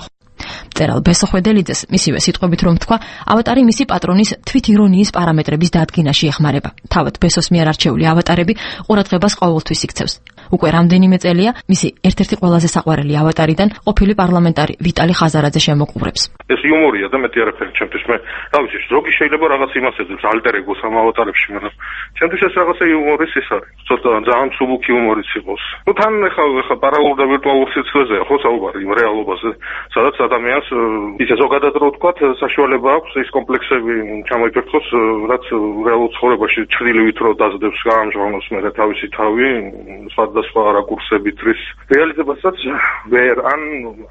მწერალ ბესო ხვედელიძეს მისივე სიტყვებით რომ თქვა, ავატარი მისი პატრონის თვითირონიის პარამეტრების დადგენაში ეხმარება. თავად ბესოს მიერ არჩეული ავატარები ყურადღებას ყოველთვის იქცევს. უკვე რამდენიმე წელია მისი ერთ-ერთი ყველაზე საყვარელი ავატარიდან ყოფილი პარლამენტარი ვიტალი ხაზარაძე შემოყურებს. ეს იუმორია და მეტი არაფერი ჩემთვის. მე რა ვიცი, ზოგი შეიძლება რაღაც იმას ეძებს ალტერ ეგოს ამ ავატარებში, მაგრამ ჩემთვის ეს რაღაცა იუმორის ის არის. ცოტა ძალიან მსუბუქი იუმორიც იყოს. ნუ თან ეხა პარალელურ და ვირტუალურ სიცხეზე ხო საუბარი იმ რეალობაზე, სადაც ადამიანს ისე ზოგადად რო ვთქვათ, საშუალება აქვს ის კომპლექსები ჩამოიფერხოს, რაც რეალურ ცხოვრებაში ჩრდილივით რო დაძდებს გაამჟღავნოს მე თავისი თავი, სხვადასხვა რაკურსებით რის რეალიზებასაც ვერ ან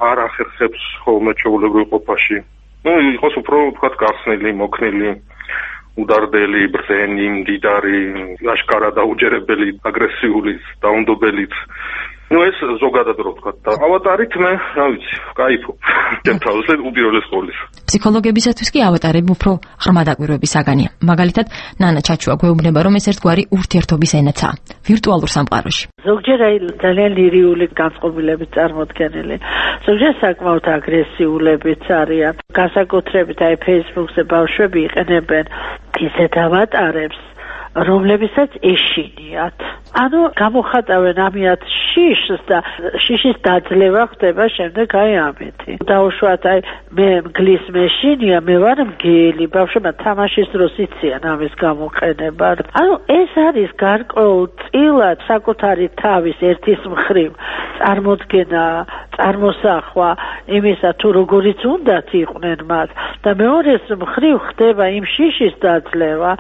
არ ახერხებს ხოლმე ჩვეულებრივ ყოფაში. ნუ იყოს უფრო ვთქვათ გახსნილი, მოქნილი, უდარდელი, ბრძენი, მდიდარი, აშკარა დაუჯერებელი, აგრესიული, დაუნდობელიც. ნუ ეს ზოგადად რო ვთქვათ და ავატარით მე, რა ვიცი, кайფობ. ჩემ თავზე უპირველეს ყოვლისა. ფსიქოლოგებისათვის კი ავატარები უფრო ღრმა დაკვირვების საგანია. მაგალითად, ნანა ჩაჩუა გვეუბნება, რომ ეს ერთგვარი ურთიერთობის ენაცაა ვირტუალურ სამყაროში. ზოგჯერ აი ძალიან ლირიული განწყობილებით წარმოდგენილი. ზოგჯერ საკმაოდ აგრესიულებიც არიან. განსაკუთრებით აი Facebook-ზე ბავშვები იყენებენ ისეთ ავატარებს, რომლებსაც ეშინიათ. ანუ გამოხატავენ ამიათ შიშს და შიშის დაძლევა ხდება შემდეგ აი ამეთი. დაუშვათ აი მე მგლის მეშინია, მე ვარ მგელი, ბავშვებმა თამაშის დროს იციან ამის გამოყენება. ანუ ეს არის გარკვეულწილად საკუთარი თავის ერთის მხრივ წარმოდგენა, წარმოსახვა იმისა თუ როგორიც უნდათ იყვნენ მათ და მეორეს მხრივ ხდება იმ შიშის დაძლევა,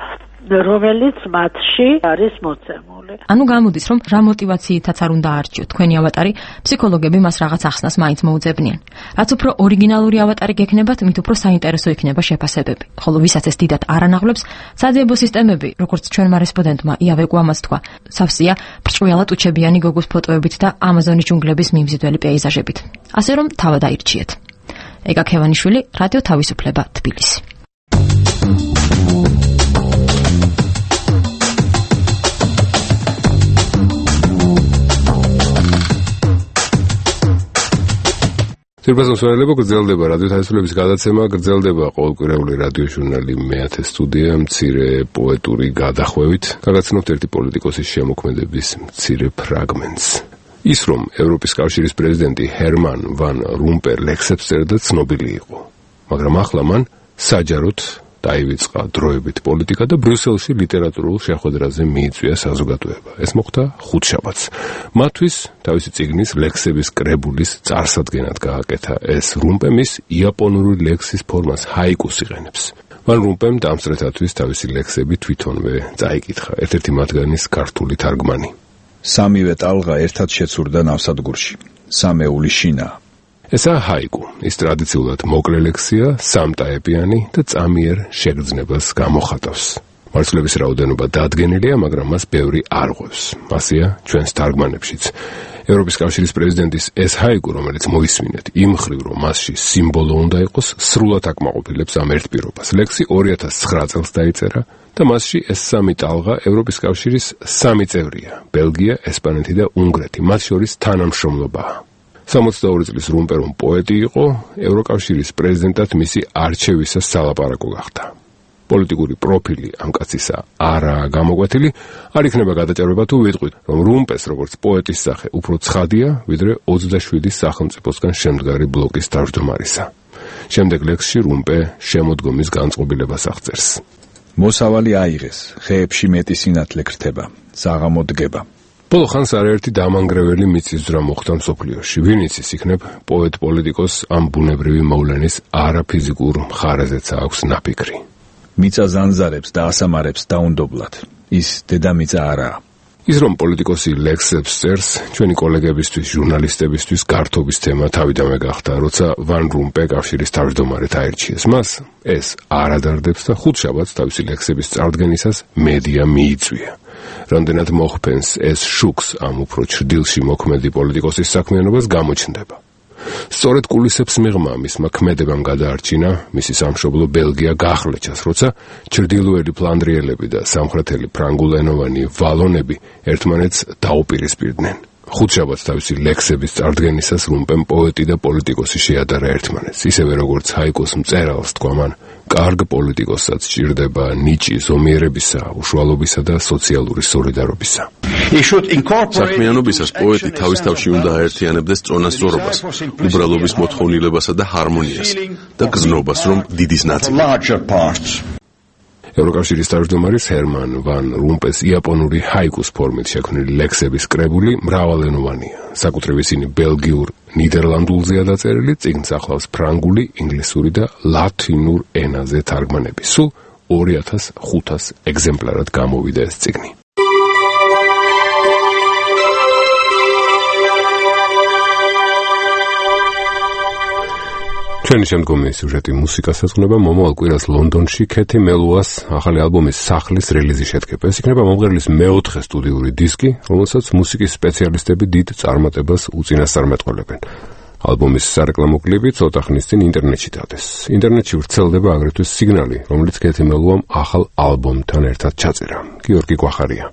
რომელიც მათში არის მოცემული. ანუ გამოდის, რომ რა мотиваციითაც არ უნდა არჩიოთ თქვენი ავატარი, ფსიქოლოგები მას რაღაც ახსნას მაინც მოუძებნიან. რაც უფრო ორიგინალური ავატარი გექნებათ, მით უფრო საინტერესო იქნება შეფასებები. ხოლო ვისაც ეს დიდად არ ანაღლებს, საძიებო სისტემები, როგორც ჩვენმა რესპონდენტმა იავეკო ამას თქვა, სავსეა ბრჭყალად უჩებიანი გოგოს ფოტოებით და ამაზონის ჯუნგლების მიმზიდველი პეიზაჟებით. ასე რომ თავად აირჩიეთ. ეგა ქევანიშვილი, რადიო თავისუფლება, თბილისი. სირბაზოსვენელება გრძელდება რადიო თავისუფლების გადაცემა, გრძელდება ყოველკვირეული რადიო ჟურნალი მე-10 სტუდია მცირე პოეტური გადახვევით. გაგაცნობთ ერთი პოლიტიკოსის შემოქმედების მცირე ფრაგმენტს. ის რომ ევროპის კავშირის პრეზიდენტი ჰერმან ვან რომპერ ლექსებს წერდა ცნობილი იყო, მაგრამ ახლა მან საჯაროდ დაივიწყა დროებით პოლიტიკა და ბრიუსელში ლიტერატურულ შეხვედრაზე მიიწვია საზოგადოება. ეს მოხდა ხუთშაბათს. მათთვის თავისი წიგნის ლექსების კრებულის წარსადგენად გააკეთა ეს რომპემ ის იაპონური ლექსის ფორმას ჰაიკუს იყენებს. ვან რომპემ დამსწრეთათვის თავისი ლექსები თვითონვე წაიკითხა, ერთ-ერთი მათგანის ქართული თარგმანი. სამივე ტალღა ერთად შეცურდა ნავსადგურში. სამეული შინა. ესაა ჰაიკუ. ის ტრადიციულად მოკლე ლექსია, სამტაეპიანი და წამიერ შეგრძნებას გამოხატავს. მარცვლების რაოდენობა დადგენილია, მაგრამ მას ბევრი არ ღვევს. ასეა ჩვენს თარგმანებშიც. ევროპის კავშირის პრეზიდენტის ეს ჰაიგუ, რომელიც მოისმინეთ იმ მხრივ, რომ მასში სიმბოლო უნდა იყოს, სრულად აკმაყოფილებს ამ ერთ პირობას. ლექსი 2009 წელს დაიწერა და მასში ეს სამი ტალღა ევროპის კავშირის სამი წევრია: ბელგია, ესპანეთი და უნგრეთი, მათ შორის თანამშრომლობაა. 62 წლის rumpe რომ პოეტი იყო, ევროკავშირის პრეზიდენტად მისი არჩევისას სალაპარაკო გახდა. პოლიტიკური პროფილი ამ კაცისა არაა გამოკვეთილი, არ იქნება გადაჭარბება თუ ვიტყვით, რომ rumpe's როგორც პოეტის სახე უფრო ცხადია, ვიდრე 27 სახელმწიფოსგან შემდგარი ბლოკის თავმჯდომარისა. შემდეგ ლექსში rumpe შემოდგომის განწყობილებას აღწერს. მოსავალი აიღეს, ხეებში მეტი სინათლე გრთება, საღამო დგება. ბოლო ხანს არაერთი დამანგრეველი მიწისძვრა მოხდა მსოფლიოში. ვინ იცის, იქნებ პოეტ-პოლიტიკოს ამ ბუნებრივი მოვლენის არაფიზიკურ მხარეზეც აქვს ნაფიქრი. მიწა ზანზარებს და ასამარებს დაუნდობლად. ის დედამიწა არაა. ის რომ პოლიტიკოსი ლექსებს წერს, ჩვენი კოლეგებისთვის, ჟურნალისტებისთვის გართობის თემა თავიდანვე გახდა, როცა ვან rumpe კავშირის თავმჯდომარედ აირჩიეს მას, ეს არ ადარდებს და ხუთშაბათს თავისი ლექსების წარდგენისას მედია მიიწვია. რამდენად მოხფენს ეს შუქს ამ უფრო ჩრდილში მოქმედი პოლიტიკოსის საქმიანობას გამოჩნდება. სწორედ კულისებს მიღმა მისმა ქმედებამ გადაარჩინა მისი სამშობლო ბელგია გახლეჩას, როცა ჩრდილოელი ფლანდრიელები და სამხრეთელი ფრანგულენოვანი ვალონები ერთმანეთს დაუპირისპირდნენ. ხუთშაბათს თავისი ლექსების წარდგენისას rumpe'm პოეტი და პოლიტიკოსი შეადარა ერთმანეთს, ისევე როგორც ჰაიგუს მწერალს თქვა მან, კარგ პოლიტიკოსაც სჭირდება ნიჭი ზომიერებისა, უშუალობისა და სოციალური სოლიდარობისა. საქმიანობისას პოეტი თავის თავში უნდა აერთიანებდეს წონასწორობას, უბრალობის მოთხოვნილებასა და ჰარმონიას და გზნობას, რომ დიდის ნაწილი. ევროკავშირის თავმჯდომარის ჰერმან ვან rumpe's იაპონური ჰაიგუს ფორმით შექმნილი ლექსების კრებული მრავალენოვანია. საკუთრივ ისინი ბელგიურ, ნიდერლანდულზეა დაწერილი, წიგნს ახლავს ფრანგული, ინგლისური და ლათინურ ენაზე თარგმანები. სულ 2500 ეგზემპლარად გამოვიდა ეს წიგნი. ჩვენი შემდგომი სიუჟეტი მუსიკას ეძღვნება. მომავალ კვირას ლონდონში ქეთი მელუას ახალი ალბომის სახლის რელიზი შედგება. ეს იქნება მომღერლის მეოთხე სტუდიური დისკი, რომელსაც მუსიკის სპეციალისტები დიდ წარმატებას უწინასწარმეტყველებენ. ალბომის სარეკლამო კლიპი ცოტა ხნის წინ ინტერნეტში დადეს. ინტერნეტში ვრცელდება აგრეთვე სიგნალი, რომელიც ქეთი მელუამ ახალ ალბომთან ერთად ჩაწერა. გიორგი გვახარია.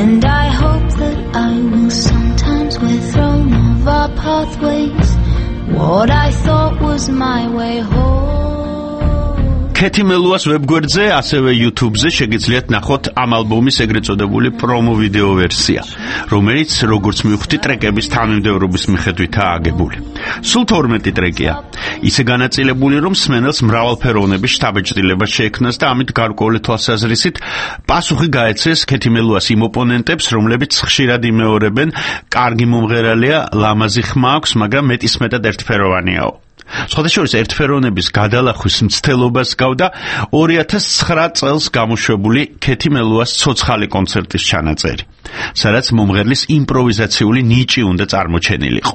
And I hope that I will sometimes we're thrown off our pathways. What I thought was my way home. ქეთი მელუას ვებგვერდზე, ასევე YouTube-ზე შეგიძლიათ ნახოთ ამ ალბომის ეგრეთ წოდებული პრომო ვიდეო ვერსია, რომელიც, როგორც მივხვდი, ტრეკების თანმიმდევრობის მიხედვითაა აგებული. სულ 12 ტრეკია. ისე განაწილებული, რომ მსმენელს მრავალფეროვნების შთაბეჭდილება შეექმნას და ამით გარკვეული თვალსაზრისით პასუხი გაეცეს ქეთი მელუას იმ ოპონენტებს, რომლებიც ხშირად იმეორებენ, კარგი მომღერალია, ლამაზი ხმა აქვს, მაგრამ მეტისმეტად ერთფეროვანიაო. სხვადასხვა ერთფეროვნების გადალახვის მცდელობას გავდა 2009 წელს გამოშვებული ქეთი მელუას ცოცხალი კონცერტის ჩანაწერი, სადაც მომღერლის იმპროვიზაციული ნიჭი უნდა წარმოჩენილიყო.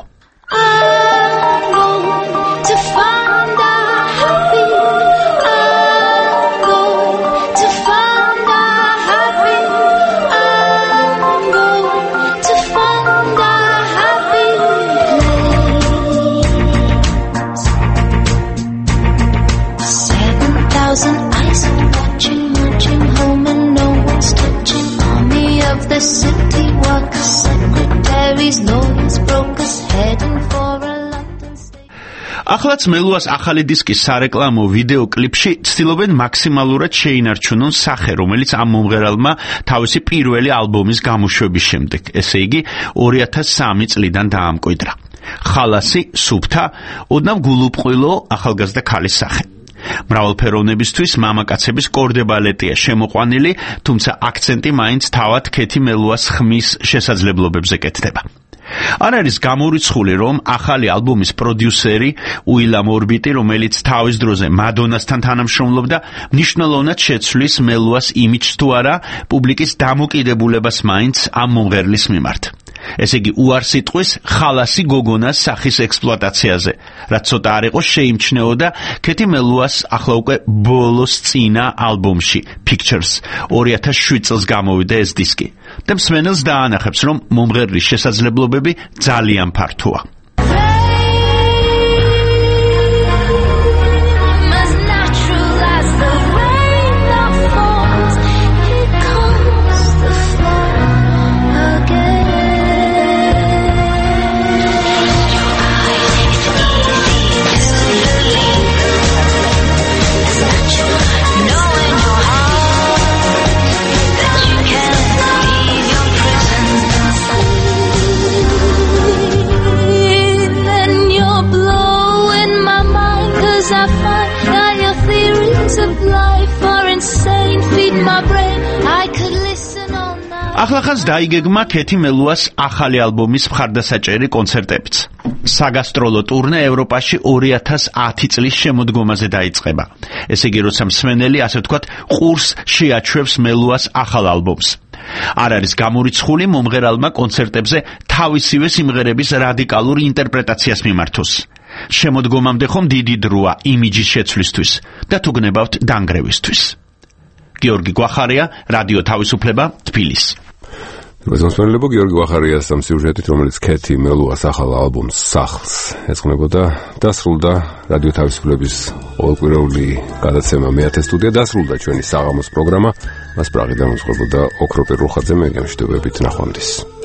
ახლაც მელუას ახალი დისკის სარეკლამო ვიდეო კლიპში ცდილობენ მაქსიმალურად შეინარჩუნონ სახე, რომელიც ამ მომღერალმა თავისი პირველი ალბომის გამოშვების შემდეგ, ესე იგი 2003 წლიდან დაამკვიდრა. ხალასი, სუფთა, ოდნავ გულუბრყვილო ახალგაზრდა ქალის სახე. მრავალფეროვნებისთვის მამაკაცების კორდებალეტია შემოყვანილი, თუმცა აქცენტი მაინც თავად ქეთი მელუას ხმის შესაძლებლობებზე კეთდება. არ არის გამორიცხული, რომ ახალი ალბომის პროდიუსერი უილამ ორბიტი, რომელიც თავის დროზე მადონასთან თანამშრომლობდა, მნიშვნელოვნად შეცვლის მელუას იმიჯს თუ არა პუბლიკის დამოკიდებულებას მაინც ამ მომღერლის მიმართ. ესე იგი უარს იტყვის ხალასი გოგონას სახის ექსპლუატაციაზე, რაც ცოტა არ იყო შეიმჩნეოდა ქეთი მელუას ახლა უკვე ბოლოს წინა ალბომში Pictures 2007 წელს გამოვიდა ეს დისკი. და მსმენელს დაანახებს, რომ მომღერლის შესაძლებლობები ძალიან ფართოა. ახლახანს დაიგეგმა ქეთი მელუას ახალი ალბომის მხარდასაჭერი კონცერტებიც. საგასტროლო ტურნე ევროპაში 2010 წლის შემოდგომაზე დაიწყება. ესე იგი, როცა მსმენელი, ასე ვთქვათ, ყურს შეაჩვევს მელუას ახალ ალბომს. არ არის გამორიცხული მომღერალმა კონცერტებზე თავისივე სიმღერების რადიკალურ ინტერპრეტაციას მიმართოს. შემოდგომამდე ხომ დიდი დროა იმიჯის შეცვლისთვის და თუ გნებავთ დანგრევისთვის. გიორგი გვახარია, რადიო თავისუფლება, თბილისი. მოსმენელებო გიორგი გვახარიას ამ სიუჟეტით, რომელიც ქეთი მელუას ახალ ალბომს სახლს ეძღვნებოდა, დასრულდა რადიო თავისუფლების ყოველკვირეული გადაცემა მე-10 სტუდია, დასრულდა ჩვენი საღამოს პროგრამა. მას პრაღიდან უძღვებოდა ოქროპირ რუხაძე, მე გემშვიდობებით, ნახვამდის.